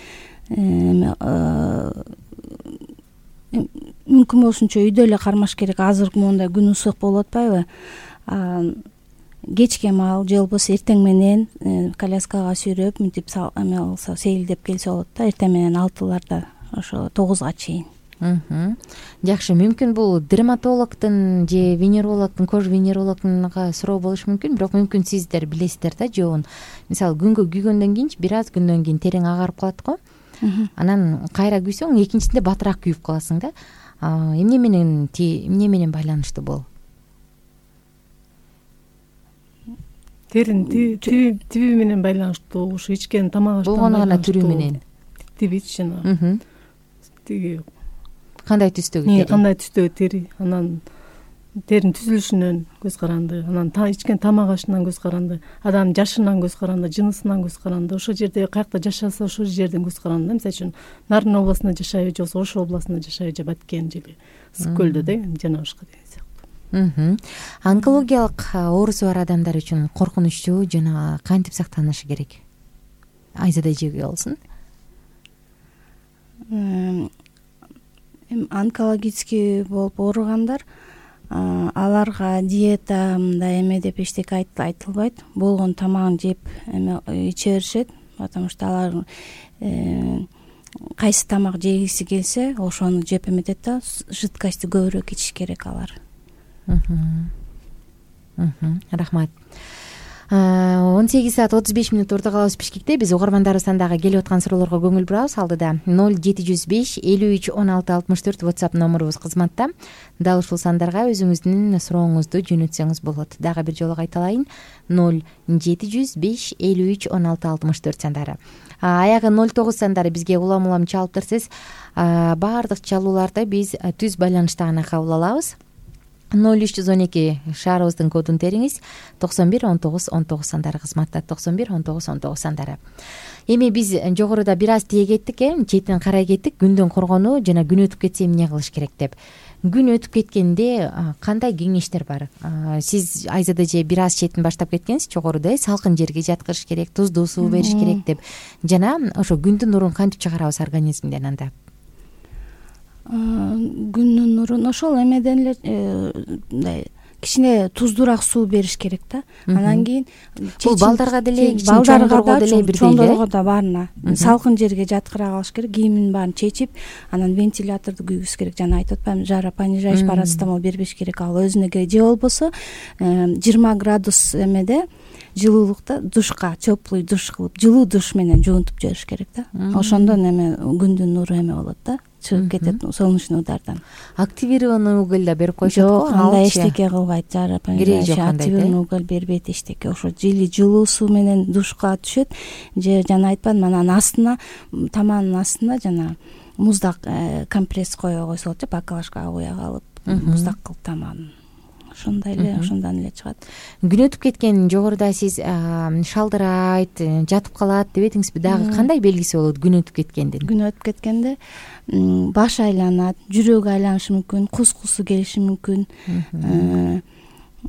мүмкүн болушунча үйдө эле кармаш керек. Азыр моундай күн ысык болуп атпайбы? Кечке маал же болбосо эртең менен коляскага сүйрөп мынтип эме алса, сейилдеп келсе болот да. Эртең менен 6ларда ошо 9га чейин. Жакшы, мүмкүн бул дерматологдун же венерологдун, кож венерологунга суроо болушу мүмкүн, бирок мүмкүн сиздер билесиздер да жообун. Мисалы күнгө күйгөндөн кийинчи бир аз күндөн кийин терең агарып калат го. Анан кайра күйсөң, экинчисинде батыраак күйүп каласың да. Эмне менен байланыштуу бул? Теринин тиби менен байланыштуу, ушу ичкен тамак аштан болгону гана түрү менен. Тибич жана тиги кандай түстөгү тери? Кандай түстөгү тери, анан теринин түзүлүшүнөн көз каранды, анан ичкен тамак ашынан көз каранды, адамдын жашынан көз каранды, жынысынан көз каранды, ошол жерде каякта жашаса ошол жерден көз каранды. Мисалы үчүн Нарын областында жашайбы, же болбосо Ош областында жашайбы, же Баткен же Ысык көлдө деген жана башка деген сыяктуу. Онкологиялык оорусу бар адамдар үчүн коркунучтуу жана кантип сактанышы керек? Айзада эжеге болсун. Онкологический болуп ооругандар, аларга диета мындай эме деп эчтеке айтылбайт. Болгон тамагын жеп иче беришет, потому что алар кайсы тамак жегиси келсе, ошону жеп эметет да. Жидкостьти көбүрөөк ичиш керек алар. Рахмат. 18:35 орто калабыз Бишкекте. Биз угармандарыбыздан дагы келип аткан суроолорго көңүл бурабыз. Алдыда 0705 53 16 64 WhatsApp номерубуз кызматта. Дал ушул сандарга өзүңүздүн сурооңузду жөнөтсөңүз болот. Дагы бир жолу кайталайын: 0705 53 16 64 сандары. Аягы 09 сандары бизге улам чалып турсиз. Баардык чалууларды биз түз байланышта гана кабыл алабыз. 0312 шаарыбыздын кодун териңиз. 91 19 19 сандары кызматта. 91 19 19 сандары. Эми биз жогоруда бир аз тие кеттик, четин карай кеттик. Күндөн коргонуу жана күн өтүп кетсе эмне кылыш керек деп. Күн өтүп кеткенде кандай кеңештер бар? Сиз Айзада эже бир аз четин баштап кеткенсиз жогоруда, салкын жерге жаткырыш керек, туздуу суу бериш керек деп. Жана ошо күндүн нурун кантип чыгарабыз организмден анда? Күндүн нурун ошол эмеден эле мындай кичине туздуураак суу бериш керек да. Анан кийин бул балдарга деле, балдарга деле, чоңдорго да баарына салкын жерге жаткыра калыш керек. Кийимин баарын чечип, анан вентиляторду күйгүзүш керек. Жана айтып атпаймынбы, жаропонижающий парацетамол бербеш керек. Ал өзүнө керек. Же болбосо 20 градус эмеде жылуулукта душка, теплый душ кылып, жылуу душ менен жуунтуп жибериш керек да. Ошондон эме күндүн нуру эме болот да, чыгып кетет солнечный удардан. Активированный уголь да берип коюшат го. Жок, андай эчтеке кылбайт. Активированный уголь бербейт эчтеке. Ошо жылуу суу менен душка түшөт. Же жана айтпадымбы, анан астына, таманын астына жана муздак компресс кое койсо болот, бакалашкага куя калып, муздак кылып таманын. Ошондой эле, ошондон эле чыгат. Күн өтүп кеткен жогоруда сиз шалдырайт, жатып калат дебедиңизби? Дагы кандай белгиси болот күн өтүп кеткендин? Күн өтүп кеткенде баш айланат, жүрөгү айланышы мүмкүн, кускусу келиши мүмкүн.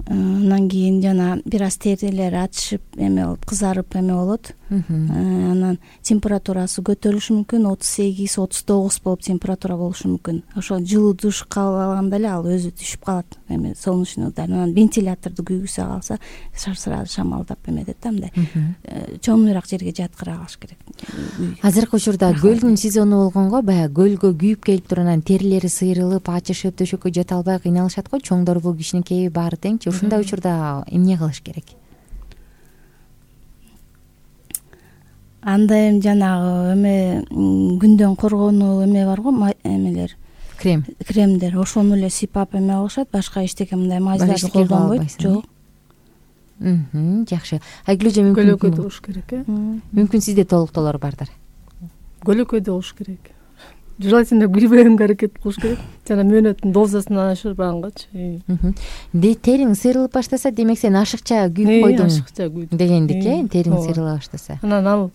Анан кийин жана бир аз терилери ачышып, эме болуп, кызарып эме болот. Анан температурасы көтөрүлүшү мүмкүн, 38-39 болуп температура болушу мүмкүн. Ошо жылуу душ кабыл алганда эле ал өзү түшүп калат, эме солнечный удар. Анан вентиляторду күйгүзө калса, сразу шамалдап эметет да, мындай чоңуйраак жерге жаткыра калыш керек. Азыркы учурда көлдүн сезону болгонго, баягы көлгө күйүп келип туруп, анан терилери сыйрылып, ачышып, төшөккө жата албай кыйналышат го. Чоңдорбу, кичинекейби баары тең. Ушундай учурда эмне кылыш керек? Анда эми жанагы эме күндөн коргонуу эме бар го, эмелер, кремдер, ошону эле сыйпап эме кылышат. Башка эчтеке мындай мазьдарды колдонбойт. Жок. Жакшы. Айгүл эже мүмкүн көлөкөдө болуш керек, Мүмкүн сизде толуктоолор бардыр. Көлөкөдө болуш керек. Желательно күйбөгөнгө аракет кылыш керек. Жана мөөнөттүн дозасын ашырбагангачы. Териң сыйрылып баштаса, демек сен ашыкча күйүп койдуң. Ашыкча күйдүм дегендик, териң сыйрыла баштаса. Анан ал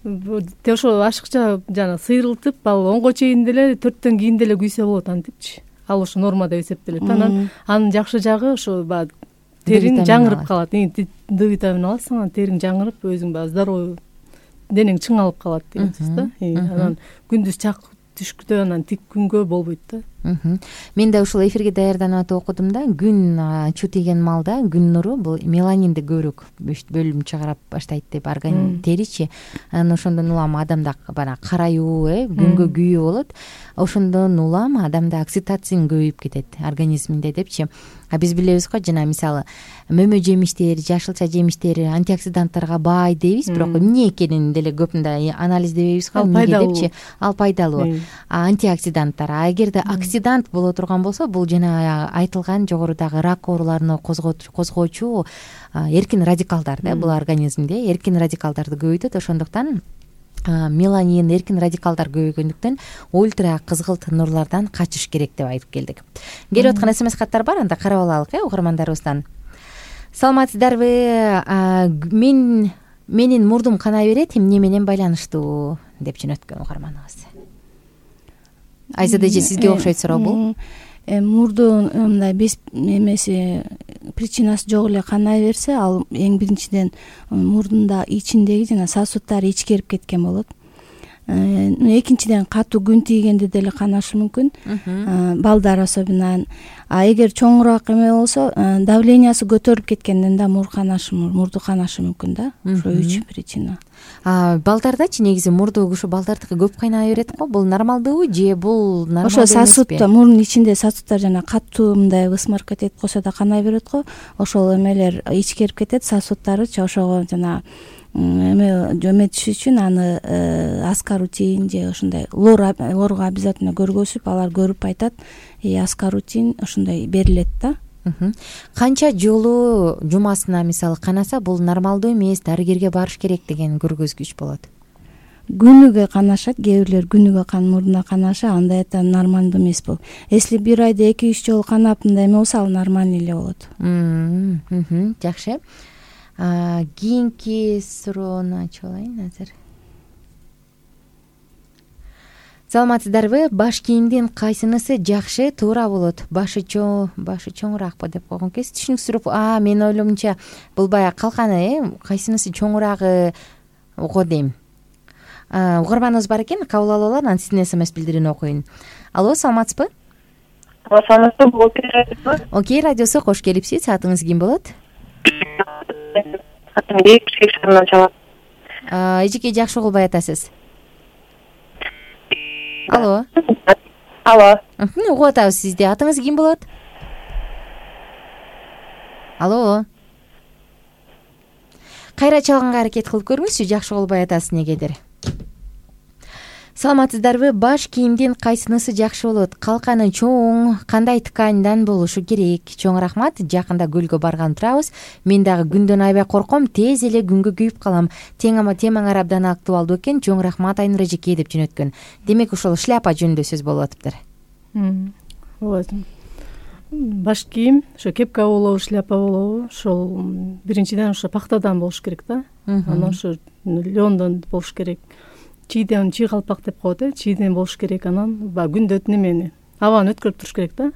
ошо ашыкча жана сыйрылтып, ал онго чейин деле 4төн кийин деле күйсө болот антипчи. Ал ошо нормада эсептелет. Анан анын жакшы жагы ошо баягы териң жаңырып калат. Д витамин аласың, анан териң жаңырып, өзүң баягы здоровый, денең чыңалып калат деген сөз да. Анан күндүз чак түшкүдө анан тик күнгө болбойт да. Мен да ушул эфирге даярданып атып окудум да, күн чуу тийген малда күн нуру бул меланинди көбүрөөк бөлүм чыгарып баштайт деп, организм теричи. Анан ошондон улам адамда бана караюу, күнгө күйүү болот. Ошондон улам адамда окситоцин көбөйүп кетет организминде депчи. Биз билебиз го, жана мисалы мөмө жемиштер, жашылча жемиштер антиоксиданттарга бай дейбиз, бирок эмне экенин деле көп мындай анализдебейбиз го, эмнеге депчи. Ал пайдалуу антиоксиданттар. Эгерде оксидант боло турган болсо, бул жана айтылган жогорудагы рак ооруларына козгоочу эркин радикалдар да, бул организмде эркин радикалдарды көбөйтөт. Ошондуктан меланин, эркин радикалдар көбөйгөндүктөн ультра кызгылт нурлардан качыш керек деп айтып келдик. Келип аткан СМС каттар бар, анда карап алалык угармандарыбыздан. Саламатсыздарбы? Менин мурдум канай берет, эмне менен байланыштуу деп жөнөткөн угарманыбыз. Айзада эже, сизге окшойт суроо бул. Мурдун мындай без эмеси, причинасы жок эле канай берсе, ал эң биринчиден мурдунда ичиндеги жана сосуддары ичкерип кеткен болот. Экинчиден катуу күн тийгенде деле канашы мүмкүн, балдар особенно. Эгер чоңураак эме болсо, давлениясы көтөрүлүп кеткенден да мурду канашы мүмкүн да. Ошо 3 причина. Балдардачы негизи мурду ушу балдардыкы көп кайнай берет го. Бул нормалдуубу же бул нормалдуу эмеспи? Ошо сосудта, мурдун ичинде сосудтар жана катуу мындай высморк этип койсо да канай берет го. Ошол эмелер ичкерип кетет, сосудтарычы ошого жана эметиш үчүн аны аскарутин же ошондой лорго обязательно көргөзүп, алар көрүп айтат, аскарутин ошондой берилет да. Канча жолу жумасына мисалы канаса бул нормалдуу эмес, дарыгерге барыш керек деген көргөзгүч болот? Күнүгө канашат, кээ бирлер күнүгө мурдуна канаша, андай да нормалдуу эмес бул. Если бир айда 2-3 жолу канап мындай эме болсо, ал нормальный эле болот. Жакшы. Кийинки суроону ачып алайын азыр. Саламатсыздарбы? Баш кийимдин кайсынысы жакшы, туура болот? Башы чоңураакпы деп койгон экенсиз. Түшүнүксүрөп, менин ойломумча бул баягы калканы, кайсынысы чоңураагы го дейм. Угарманыбыз бар экен, кабыл алып алалы, анан сиздин СМС билдирүүнү окуйн. Алло, саламатсызбы? Саламатсызбы? Окей, радиосу кош келипсиз. Атыңыз ким болот? Атым Бишкек шаарынан чалат. Эжеке жакшы кылбай атасыз. Алло. Угуп атабыз сизди. Атыңыз ким болот? Алло. Кайра чалганга аракет кылып көрүңүзчү, жакшы кылбай атасыз негедир. Саламатсыздарбы? Баш кийимдин кайсынысы жакшы болот? Калканы чоң, кандай тканьдан болушу керек? Чоң рахмат. Жакында көлгө барган турабыз. Мен дагы күндөн аябай корком, тез эле күнгө күйүп калам. Темаң абдан актуалдуу экен. Чоң рахмат Айнура эжеке деп жөнөткөн. Демек ошол шляпа жөнүндө сөз болуп атыптыр. Баш кийим, ошо кепка болобу, шляпа болобу, ошол биринчиден ошо пахтадан болуш керек да. Анан ошо лёндон болуш керек. Чийден, чий калпак деп коет, чийден болуш керек. Анан күндө немени, абаны өткөрүп туруш керек да,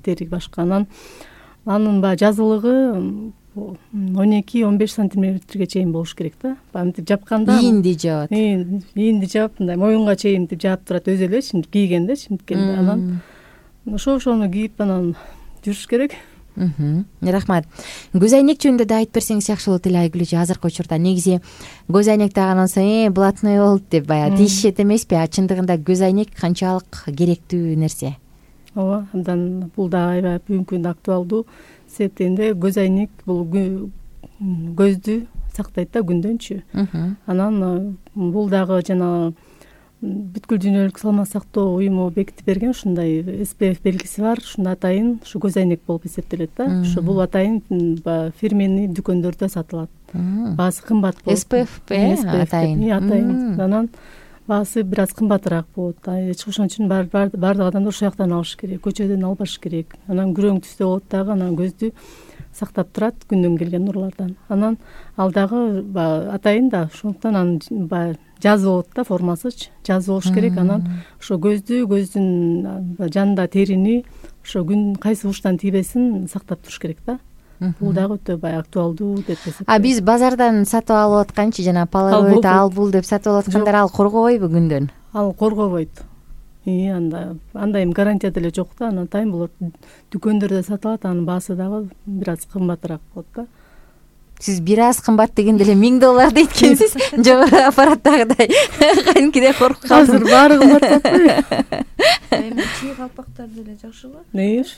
дери башка. Анан анын жазылыгы 12-15 сантиметрге чейин болуш керек да. Мынтип жапканда ийинди жаат. Ийинди жаап, мындай моюнга чейин мынтип жаап турат өзү эле, чимдип кийгенде, чимдиккенде. Анан ошону кийип анан жүрүш керек. Рахмат. Көз айнек жөнүндө да айтып берсеңиз жакшы болот эле Айгүл эже. Азыркы учурда негизи көз айнек таггандан соң блатной болуп деп баягы тийишет эмеспи? Чындыгында көз айнек канчалык керектүү нерсе? Ооба, абдан бул да аябай бүгүнкү күндө актуалдуу. Себептенде көз айнек бул көздү сактайт да күндөнчү. Анан бул дагы жана бүткүл дүйнөлүк саламат сактоо уюму бекитип берген ушундай SPF белгиси бар. Ушунда атайын ушу көз айнек болуп эсептелет да. Ушу бул атайын фирменный дүкөндөрдө сатылат. Баасы кымбат болот. SPF атайын. Анан баасы бир аз кымбатыраак болот. Ошон үчүн баардык адамдар ошол жактан алыш керек, көчөдөн албаш керек. Анан күрөң түстө болот дагы, анан көздү сактап турат күндөн келген нурлардан. Анан ал дагы атайын да, ошондуктан анын жазы болот да, формасычы жазы болуш керек. Анан ошо көздүн жанында терини ошо күн кайсы бурчтан тийбесин сактап туруш керек да. Бул дагы өтө актуалдуу деп эсептейм. Биз базардан сатып алып атканчы жана половойт ал бул деп сатып алып аткандар ал коргобойбу күндөн? Ал коргобойт. Андай гарантия деле жок да. Анан атайын болот. Дүкөндөрдө сатылат, анын баасы дагы бир аз кымбатыраак болот да. Сиз бир аз кымбат дегенде эле $1000 дейт экенсиз. Жогору аппараттагыдай. Кадимкидей коркуп калдым. Азыр баары кымбаттаппы? Чий калпактар деле жакшыбы?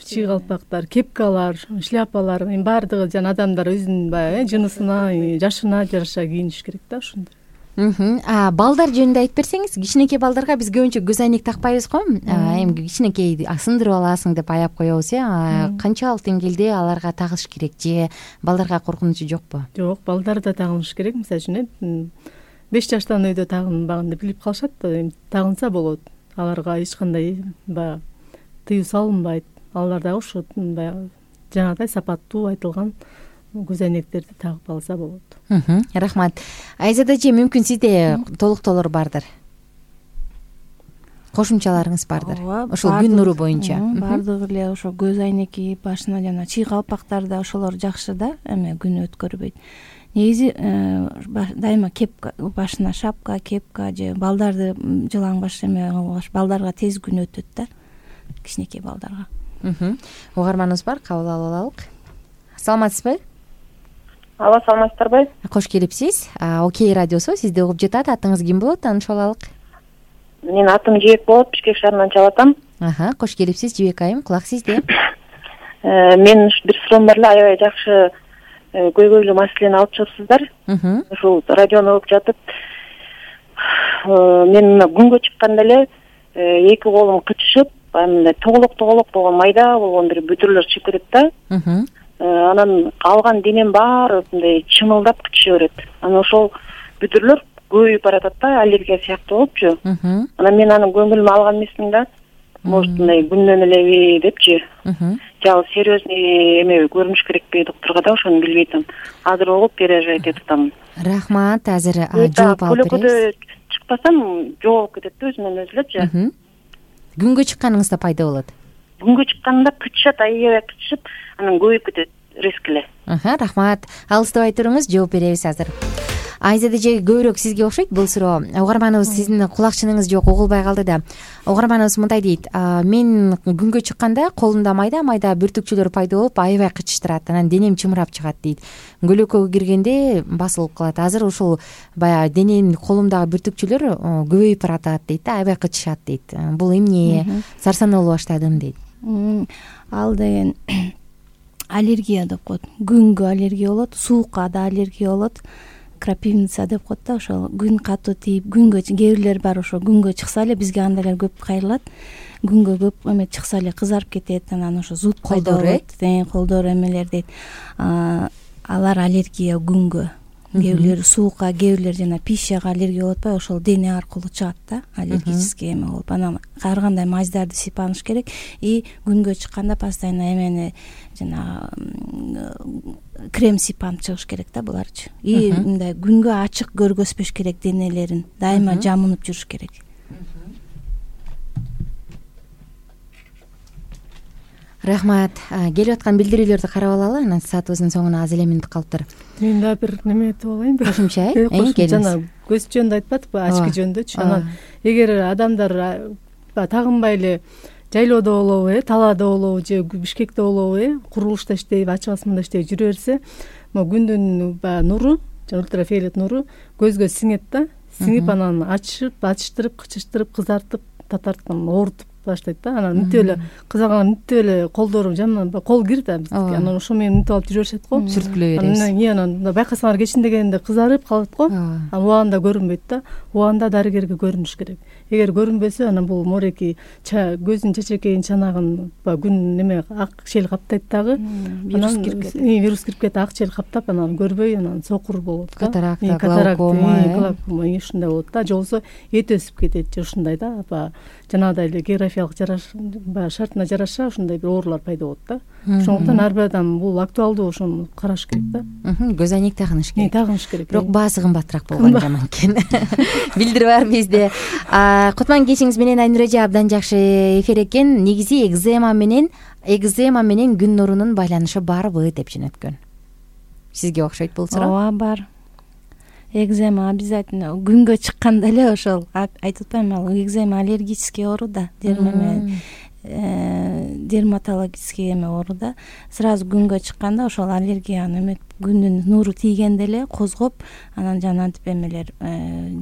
Чий калпактар, кепкалар, шляпалар, баардыгы жана адамдар өзүнүн баягы жынысына, жашына жараша кийиниш керек да ошондой. Балдар жөнүндө айтып берсеңиз, кичинекей балдарга биз көбүнчө көз айнек такпайбыз го. Эми кичинекей сындырып аласың деп аяп коебуз, канчалык деңгээлде аларга тагыш керек же балдарга коркунучу жокпу? Жок, балдарда тагыныш керек. Мисалы үчүн 5 жаштан өйдө тагынбаган деп билип калышат да, тагынса болот. Аларга эч кандай тыюу салынбайт. Алар дагы ошо жанагыдай сапаттуу айтылган көз айнектерди тагып алса болот. Рахмат. Айзада эже, мүмкүн сизде толуктоолор бардыр, кошумчаларыңыз бардыр ошол күн нуру боюнча? Бардыгы эле ошо көз айнек кийип, башына жана чий калпактарда ошолор жакшы да, эме күн өткөрбөйт. негизи дайыма кепка, башына шапка, кепка же балдарды жылаңбаш эме кылбаш, балдарга тез күн өтөт да, кичинекей балдарга. Угарманыбыз бар, кабыл алып алалык. Саламатсызбы? Алла, саламатсыздарбы? Кош келипсиз. Окей радиосу сизди угуп жатат. Атыңыз ким болот? Таанышып алалык. Менин атым Жибек болот, Бишкек шаарынан чалып атам. Кош келипсиз Жибек айым, кулак сизде. Мен бир суроом бар эле, аябай жакшы көйгөйлүү маселени алып чыгыпсыздар. Ушул радиону угуп жатып, мен мына күнгө чыкканда эле эки колум кычышып, мындай тоголок болгон майда болгон бир бүтүрлөр чыгып кетет да. Анан калган денем баары мындай чымылдап кычыша берет. Анан ошол бүтүрлөр көбөйүп баратат да, аллергия сыяктуу болупчу. Анан мен анын көңүлүмө алган эмесмин да. Может, мындай күндөн элеби депчи. Жал серьезный эме көрүнүш керекпи докторго да, ошону билбей атам. Азыр угуп переживать этип атам. Рахмат, азыр жооп алып беребиз. Көлөкөдө чыкпасам жоолуп кетет да, өзүнөн өзү элечи. Күнгө чыкканыңызда пайда болот. Күнгө чыкканда кычышат, аябай кычышып, анан көбөйүп кетет резко эле. Рахмат. Алыстабай туруңуз, жооп беребиз азыр. Айзада эже көбүрөөк сизге окшойт бул суроо. Угарманыбыз сиздин кулакчыныңыз жок, угулбай калды да. Угарманыбыз мындай дейт: мен күнгө чыкканда колумда майда бүртүкчөлөр пайда болуп, аябай кычыштырат, анан денем чымырап чыгат дейт. Көлөкөгө киргенде басылып калат. Азыр ушул баягы денем, колумдагы бүртүкчөлөр көбөйүп баратат дейт да, аябай кычышат дейт. Бул эмне? Сарсанаа боло баштадым дейт. Ал деген аллергия деп коет. Күнгө аллергия болот, суукка да аллергия болот. Крапивница деп коет да, ошол күн катуу тийип, күнгө кээ бирлер бар, ошо күнгө чыкса эле, бизге андай эле көп кайрылат. Күнгө көп эме чыкса эле кызарып кетет, анан ошо зуд пайда болот. Колдор эмелер дейт. Алар аллергия күнгө. Кээ бирлер суукка, кээ бирлер жана пищага аллергия болуп атпайбы, ошол дене аркылуу чыгат да, аллергический эме болуп. Анан ар кандай маздарды сыйпаныш керек. И күнгө чыкканда постоянно эмени жана крем сыйпанып чыгыш керек да буларчы. И мындай күнгө ачык көргөзбөш керек денелерин, дайыма жамынып жүрүш керек. Рахмат. Келип аткан билдирүүлөрдү карап алалы, анан саатыбыздын соңуна аз эле мүнөт калыптыр. Мен да бир неме айтып алайынбы? Кошумча, жана көз жөнүндө айтпадыкпы, ачкы жөнүндөчү. Анан эгер адамдар тагынбай эле жайлоодо болобу, талаада болобу же Бишкекте болобу, курулушта иштейби, ачык асманда иштейби жүрө берсе, могу күндүн баягы нуру, ультрафиолет нуру көзгө сиңет да, сиңип анан ачыштырып, кычыштырып, кызартып, татартып, оорутуп баштайт да. Анан мынтип эле кызарган, мынтип эле колдору жаман кол кир да бизге. Анан ошо менен мынтип алып жүрө беришет го. Сүрткүлөй беребиз. Анан байкасаңар кечинде дегенде кызарып калат го. Анан убагында көрүнбөйт да. Убагында дарыгерге көрүнүш керек. Эгер көрүнбөсө, анан бул мореки көздүн чечекейин, чанагын күн неме ак шел каптайт дагы. Вирус кирип кетет, ак шел каптап, анан көрбөй, анан сокур болот да. Катаракта, глаукома, ушундай болот да. Же болбосо эт өсүп кетет, же ушундай да. Жанагыдай эле географиялык шартына жараша ушундай бир оорулар пайда болот да. Ошондуктан ар бир адам бул актуалдуу, ошону караш керек да. Көз айнек тагыныш керек. Тагыныш керек. Бирок баасы кымбатыраак болгон жаман экен. Билдирип бар бизде. Кутман кечиңиз менен Айнур эже, абдан жакшы эфир экен. Негизи экзема менен күн нурунун байланышы барбы деп жөнөткөн. Sizge окшойт бул суроо? Ооба, бар. Экзема обязательно күнгө чыкканда эле ошол айтып атпаймынбы, ал экзема аллергический оору да, дерматологический эме оору да. Сразу күнгө чыкканда ошол аллергияны эме күндүн нуру тийгенде эле козгоп, анан жанагынтип эмелер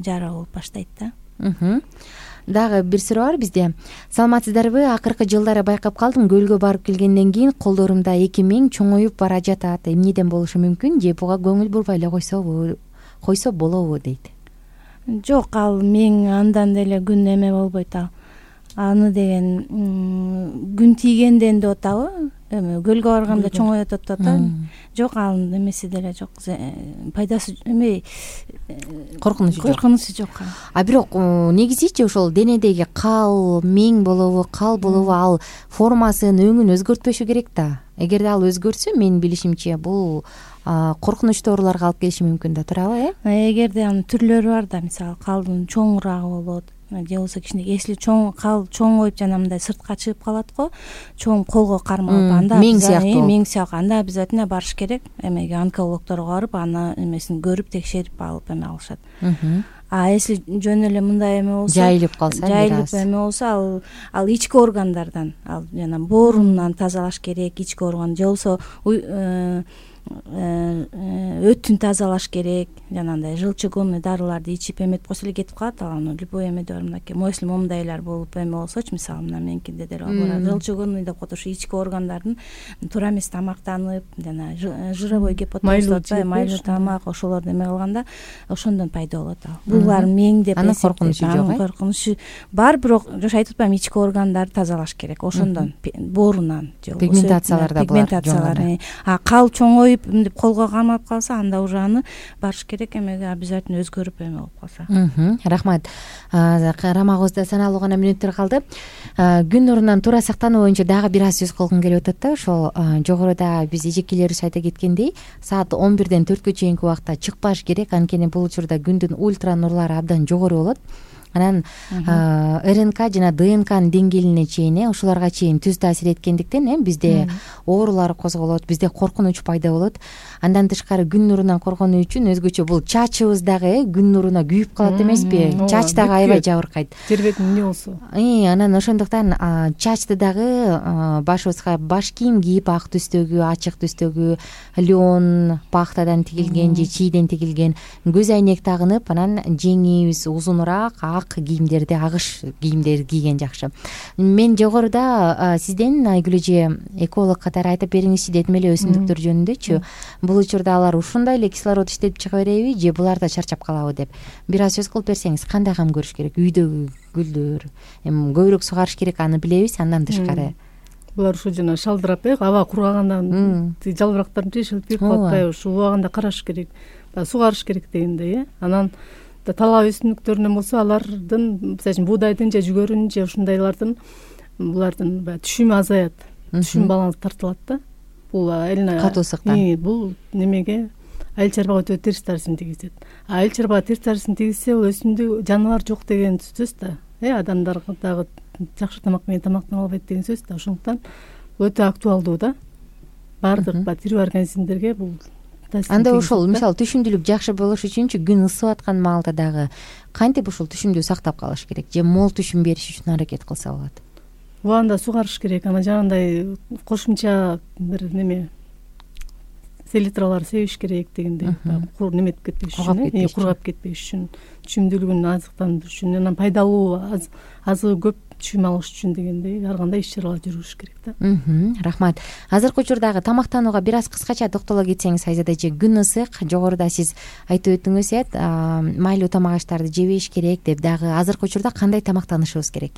жара болуп баштайт да. Дагы бир суроо бар бизде. Саламатсыздарбы? Акыркы жылдары байкап калдым, көлгө барып келгенден кийин колдорумда эки миң чоңоюп бара жатат. Эмнеден болушу мүмкүн? Же буга көңүл бурбай эле койсо болобу дейт. Жок, ал миң андан деле күн эме болбойт ал. Аны деген күн тийгенден деп атабы? Эме көлгө барганда чоңоёт деп атат. Жок, ал эмеси деле жок. Пайдасы эме коркунучу жок. Бирок негизичи ошол денедеги кал, миң болобу, кал болобу, ал формасын, өңүн өзгөртпөшү керек да. Эгерде ал өзгөрсө, менин билишимче, бул коркунучтуу ооруларга алып келиши мүмкүн да, туурабы? Эгерде анын түрлөрү бар да, мисалы калдын чоңураагы болот, же болбосо кичине эсли чоң коюп жана мындай сыртка чыгып калат го, чоң колго кармалып, анда мең сыяктуу мең сыяктуу, анда обязательно барыш керек, эмеге онкологторго барып аны эмесин көрүп текшерип алып эме алышат. А если жөн эле мындай эме болсо, жайылып калса, жайылып эме болсо, ал ички органдардан, ал жана боорунан тазалаш керек, ички орган, же болбосо өтүн тазалаш керек, жанагындай желчегонный дарыларды ичип эметип койсо эле кетип калат. Ал аны любой эмеде бар, мынакей моюслум момундайлар болуп эме болсочу, мисалы мына меникинде деле бар, желчегонный деп коет, ушу ички органдардын туура эмес тамактанып, жана жировой гипотоз деп атпайбы, майлуу тамак, ошолорду эме кылганда ошондон пайда болот. Ал булар меңдеп, анын коркунучу жок, коркунучу бар, бирок жош айтып атпаймынбы, ички органдарды тазалаш керек, ошондон боорунан, же болбосо пигментациялар да бар, пигментациялар. А кал чоңоюп мынтип колго кармап калса, анда уже аны барыш керек, эмеге обязательно өзгөрүп эме болуп калса. Рахмат. Карамагыбызда саналуу гана мүнөттөр калды. Күн нурунан туура сактануу боюнча дагы бир аз сөз кылгым келип атат да. Ошол жогоруда биз эжекелерибиз айта кеткендей, саат 11ден 4кө чейинки убакта чыкпаш керек, анткени бул учурда күндүн ультра нурлары абдан жогору болот. Анан РНК жана ДНКнын деңгээлине чейин, ошолорго чейин түз таасир эткендиктен бизде оорулар козголот, бизде коркунуч пайда болот. Андан тышкары күн нурунан коргонуу үчүн өзгөчө бул чачыбыз дагы күн нуруна күйүп калат эмеспи? Чач дагы аябай жабыркайт. Жер бетин эмне болсо. Анан ошондуктан чачты дагы башыбызга баш кийим кийип, ак түстөгү, ачык түстөгү, лен, пахтадан тигилген же чийден тигилген көз айнек тагынып, анан жеңибиз узунураак ак кийимдерди, агыш кийимдерди кийген жакшы. Мен жогоруда сизден Айгүл эже эколог катары айтып бериңизчи дедим эле өсүмдүктөр жөнүндөчү. Бул учурда алар ушундай эле кислород иштетип чыга береби же булар да чарчап калабы деп бир аз сөз кылып берсеңиз, кандай кам көрүш керек? Үйдөгү гүлдөр, эми көбүрөөк сугарыш керек, аны билебиз. Андан тышкары булар ушу жана шалдырап, аба кургагандан жалбырактарын жешилип кирип калып атпайбы, ушу убагында караш керек, сугарыш керек дегендей. Анан талаа өсүмдүктөрүнөн болсо, алардын, мисалы үчүн буудайдын же жүгөрүнүн же ушундайлардын, булардын баягы түшүмү азаят, түшүм баланс тартылат да. Бул катуу ысыктан. Бул немеге айыл чарбага өтө терс таасирин тийгизет. Айыл чарбага терс таасирин тийгизсе, бул өсүмдүк жаныбар жок деген сөз да. Адамдар дагы жакшы тамак менен тамактана албайт деген сөз да. Ошондуктан өтө актуалдуу да. Баардык тирүү организмдерге бул. Анда ошол мисалы түшүмдүүлүк жакшы болуш үчүнчү күн ысып аткан маалда дагы кантип ушул түшүмдү сактап калыш керек же мол түшүм бериш үчүн аракет кылса болот? Убагында сугарыш керек. Анан жанагындай кошумча бир неме селитралар себиш керек дегендей, неметип кетпеш үчүн, кургап кетпеш үчүн, түшүмдүүлүгүн азыктандырыш үчүн, анан пайдалуу азыгы көп түшүм алыш үчүн дегендей ар кандай иш чаралар жүргүзүш керек да. Рахмат. Азыркы учурдагы тамактанууга бир аз кыскача токтоло кетсеңиз, Айзада эже, күн ысык, жогоруда сиз айтып өттүңүз, майлуу тамак аштарды жебеш керек деп, дагы азыркы учурда кандай тамактанышыбыз керек?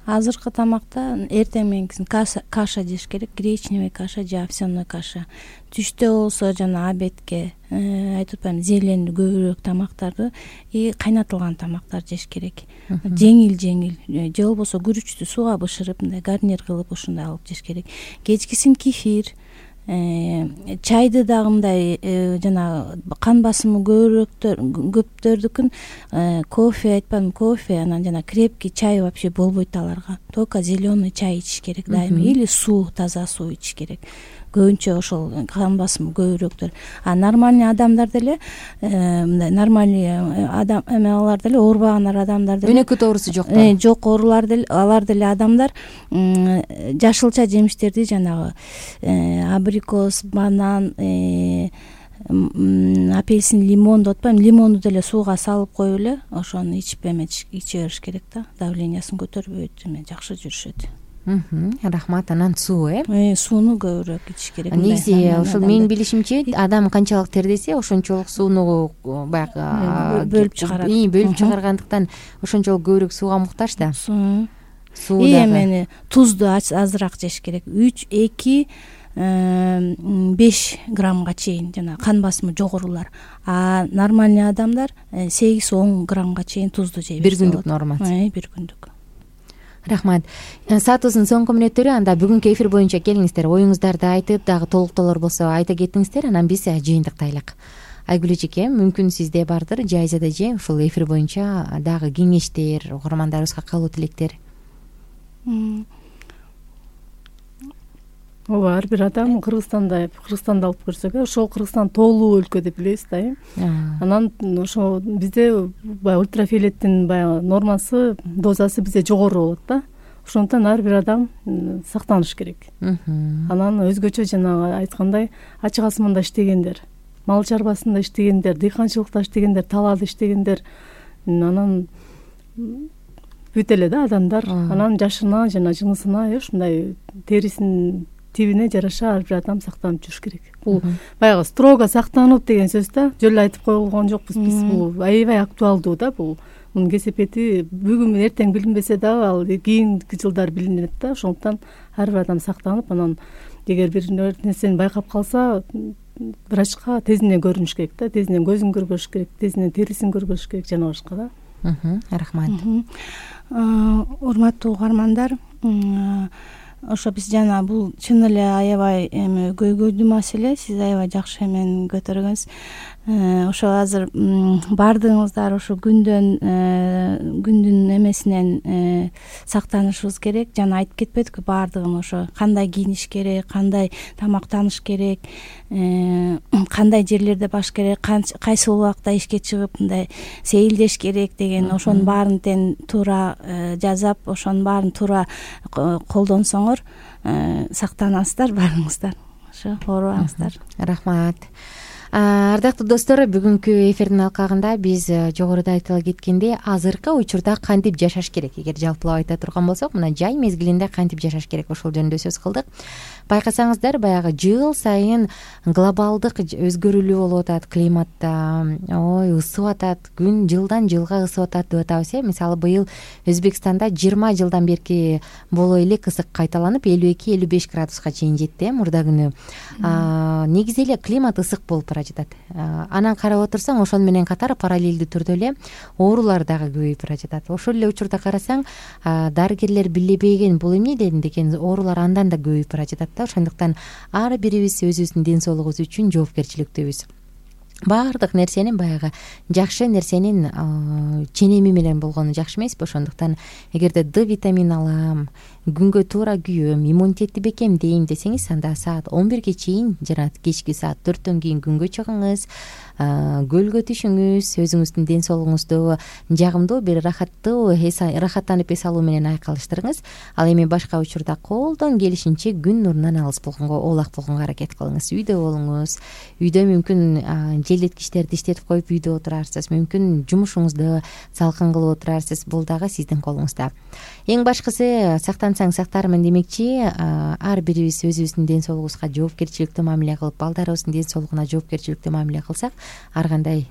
Азыркы тамакта эртең мененкисин каша жеш керек, гречневый каша же овсяной каша. Түштө болсо жана обедке айтып атпаймынбы, зелень көбүрөөк тамактарды и кайнатылган тамактарды жеш керек. Жеңил же болбосо күрүчтү сууга бышырып, мындай гарнир кылып ушундай алып жеш керек. Кечкисин кефир, чайды дагы мындай жана кан басымы көптөрдүкүн кофе айтпадымбы, кофе, анан жана крепкий чай вообще болбойт аларга. Только зеленый чай ичиш керек дайыма или суу, таза суу ичиш керек. Көбүнчө ошол кан басымы көбүрөөктөр. А нормальный адамдар деле, мындай нормальный адам алар деле, оорубаган адамдар деле, өнөкөт оорусу жоктор. Жок оорулар деле, алар деле адамдар жашылча жемиштерди, жанагы абрикос, банан, апельсин, лимон деп атпаймынбы, лимонду деле сууга салып коюп эле ошону ичип иче бериш керек да. Давлениясын көтөрбөйт, жакшы жүрүшөт. Рахмат. Анан суу, сууну көбүрөөк ичиш керек. Негизи ошол менин билишимче, адам канчалык тердесе, ошончолук сууну баягы бөлүп чыгарат. Бөлүп чыгаргандыктан ошончолук көбүрөөк сууга муктаж да. Суу эмени тузду азыраак жеш керек. 3-2-5 граммга чейин, жана кан басымы жогорулар. А нормальный адамдар 8-10 граммга чейин тузду жей берсе болот. Бир күндүк нормасы. Бир күндүк. Рахмат. Саатыбыздын соңку мүнөттөрү, анда бүгүнкү эфир боюнча келиңиздер, оюңуздарды айтып, дагы толуктоолор болсо айта кетиңиздер, анан биз жыйынтыктайлык. Айгүл эжеке, мүмкүн сизде бардыр Жайзада эже ушул эфир боюнча дагы кеңештер, угармандарыбызга каалоо тилектер? ооба, ар бир адам Кыргызстанды алып көрсөк, ошол Кыргызстан тоолуу өлкө деп билебиз да. Анан ошо бизде баягы ультрафиолеттин баягы нормасы, дозасы бизде жогору болот да. Ошондуктан ар бир адам сактаныш керек. Анан өзгөчө жанагы айткандай ачык асманда иштегендер, мал чарбасында иштегендер, дыйканчылыкта иштегендер, талаада иштегендер, анан бүт эле да адамдар, анан жашына жана жынысына ушундай терисинин тибине жараша ар бир адам сактанып жүрүш керек. Бул баягы строго сактанып деген сөз да, жөн эле айтып койгон жокпуз биз. Бул аябай актуалдуу да, мунун кесепети бүгүн менен эртең билинбесе дагы ал кийинки жылдар билинет да. Ошондуктан ар бир адам сактанып, анан эгер бир нерсени байкап калса, врачка тезинен көрүнүш керек да, тезинен көзүн көргөзүш керек, тезинен терисин көргөзүш керек жана башка да. Рахмат. Урматтуу угармандар, ошо биз жана бул чын эле аябай көйгөйлүү маселе, сиз аябай жакшы эмен көтөргөнсүз. Ошо азыр баардыгыңыздар ошо күндүн эмесинен сактанышыбыз керек. Жана айтып кетпедикпи баардыгын, ошо кандай кийиниш керек, кандай тамактаныш керек, кандай жерлерде баш керек, кайсы убакта ишке чыгып мындай сейилдеш керек деген, ошонун баарын тең туура жазап, ошонун баарын туура колдонсоңор сактанасыздар баарыңыздар. Ошо оорубаңыздар. Рахмат. Ардактуу достор, бүгүнкү эфирдин алкагында биз жогоруда айтыла кеткендей азыркы учурда кантип жашаш керек, эгер жалпылап айта турган болсок, мына жай мезгилинде кантип жашаш керек, ошол жөнүндө сөз кылдык. Байкасаңыздар, баягы жыл сайын глобалдык өзгөрүүлүү болуп атат, климатта ысып атат, күн жылдан жылга ысып атат деп атабыз. Мисалы быйыл Өзбекстанда 20 жылдан берки боло элек ысык кайталанып 52-55 градуска чейин жетти мурда күнү. Негизи эле климат ысык болуп бара жатат. Анан карап отурсаң, ошону менен катар параллелдүү түрдө эле оорулар дагы көбөйүп бара жатат. Ошол эле учурда карасаң, дарыгерлер билебеген бул эмне деген оорулар андан да көбөйүп бара жатат. Ошондуктан ар бирибиз өзүбүздүн ден соолугубуз үчүн жоопкерчиликтүүбүз. Баардык нерсенин баягы жакшы нерсенин ченеми менен болгону жакшы эмеспи? Ошондуктан эгерде Д витамин алам, күнгө туура күйөм, иммунитетти бекемдейм десеңиз, анда саат 11ге чейин жана кечки саат 4төн кийин күнгө чыгыңыз, көлгө түшүңүз, өзүңүздүн ден соолугуңузду жагымдуу бир рахаттанып эс алуу менен айкалыштырыңыз. Ал эми башка учурда колдон келишинче күн нурунан алыс болгонго, оолак болгонго аракет кылыңыз. Үйдө болуңуз. Үйдө мүмкүн желдеткичтерди иштетип коюп үйдө отурарсыз, мүмкүн жумушуңузду салкын кылып отурарсыз. Бул дагы сиздин колуңузда. Эң башкысы сактансаң сактармын демекчи, ар бирибиз өзүбүздүн ден соолугубузга жоопкерчиликтүү мамиле кылып, балдарыбыздын ден соолугуна жоопкерчиликтүү мамиле кылсак, ар кандай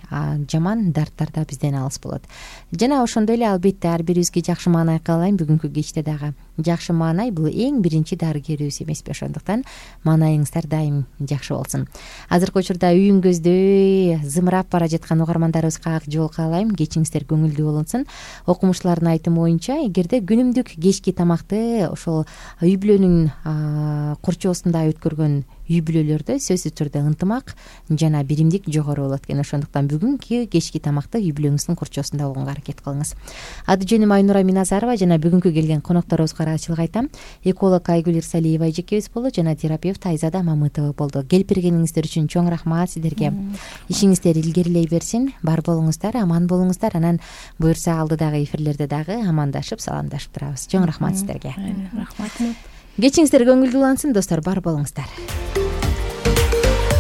жаман дарттар да бизден алыс болот. Жана ошондой эле албетте ар бирибизге жакшы маанай каалайм бүгүнкү кечте дагы. Жакшы маанай бул эң биринчи дарыгерибиз эмеспи? Ошондуктан маанайыңыздар дайым жакшы болсун. Азыркы учурда үйүңгөздөй зымырап бара жаткан угармандарыбызга ак жол каалайм. Кечиңиздер көңүлдүү болсун. Окумуштуулардын айтымы боюнча, эгерде күнүмдүк кечки тамакты ошол үй бүлөнүн курчоосунда өткөргөн үй бүлөлөрдө сөзсүз түрдө ынтымак жана биримдик жогору болот экен. Ошондуктан бүгүнкү кечки тамакты үй бүлөңүздүн курчоосунда болгонго аракет кылыңыз. Аты жөнүм Айнура Миназарова жана бүгүнкү келген конокторубузга ыраазычылык айтам. Эколог Айгүл Ирсалиева эжекебиз болду жана терапевт Айзада Мамытова болду. Келип бергениңиздер үчүн чоң рахмат сиздерге. Ишиңиздер илгерилей берсин. Бар болуңуздар, аман болуңуздар. Анан буюрса алдыдагы эфирлерде дагы амандашып, саламдашып турабыз. Чоң рахмат сиздерге. Рахмат. Кечиңиздер көңүлдүү улансын достор, бар болуңуздар.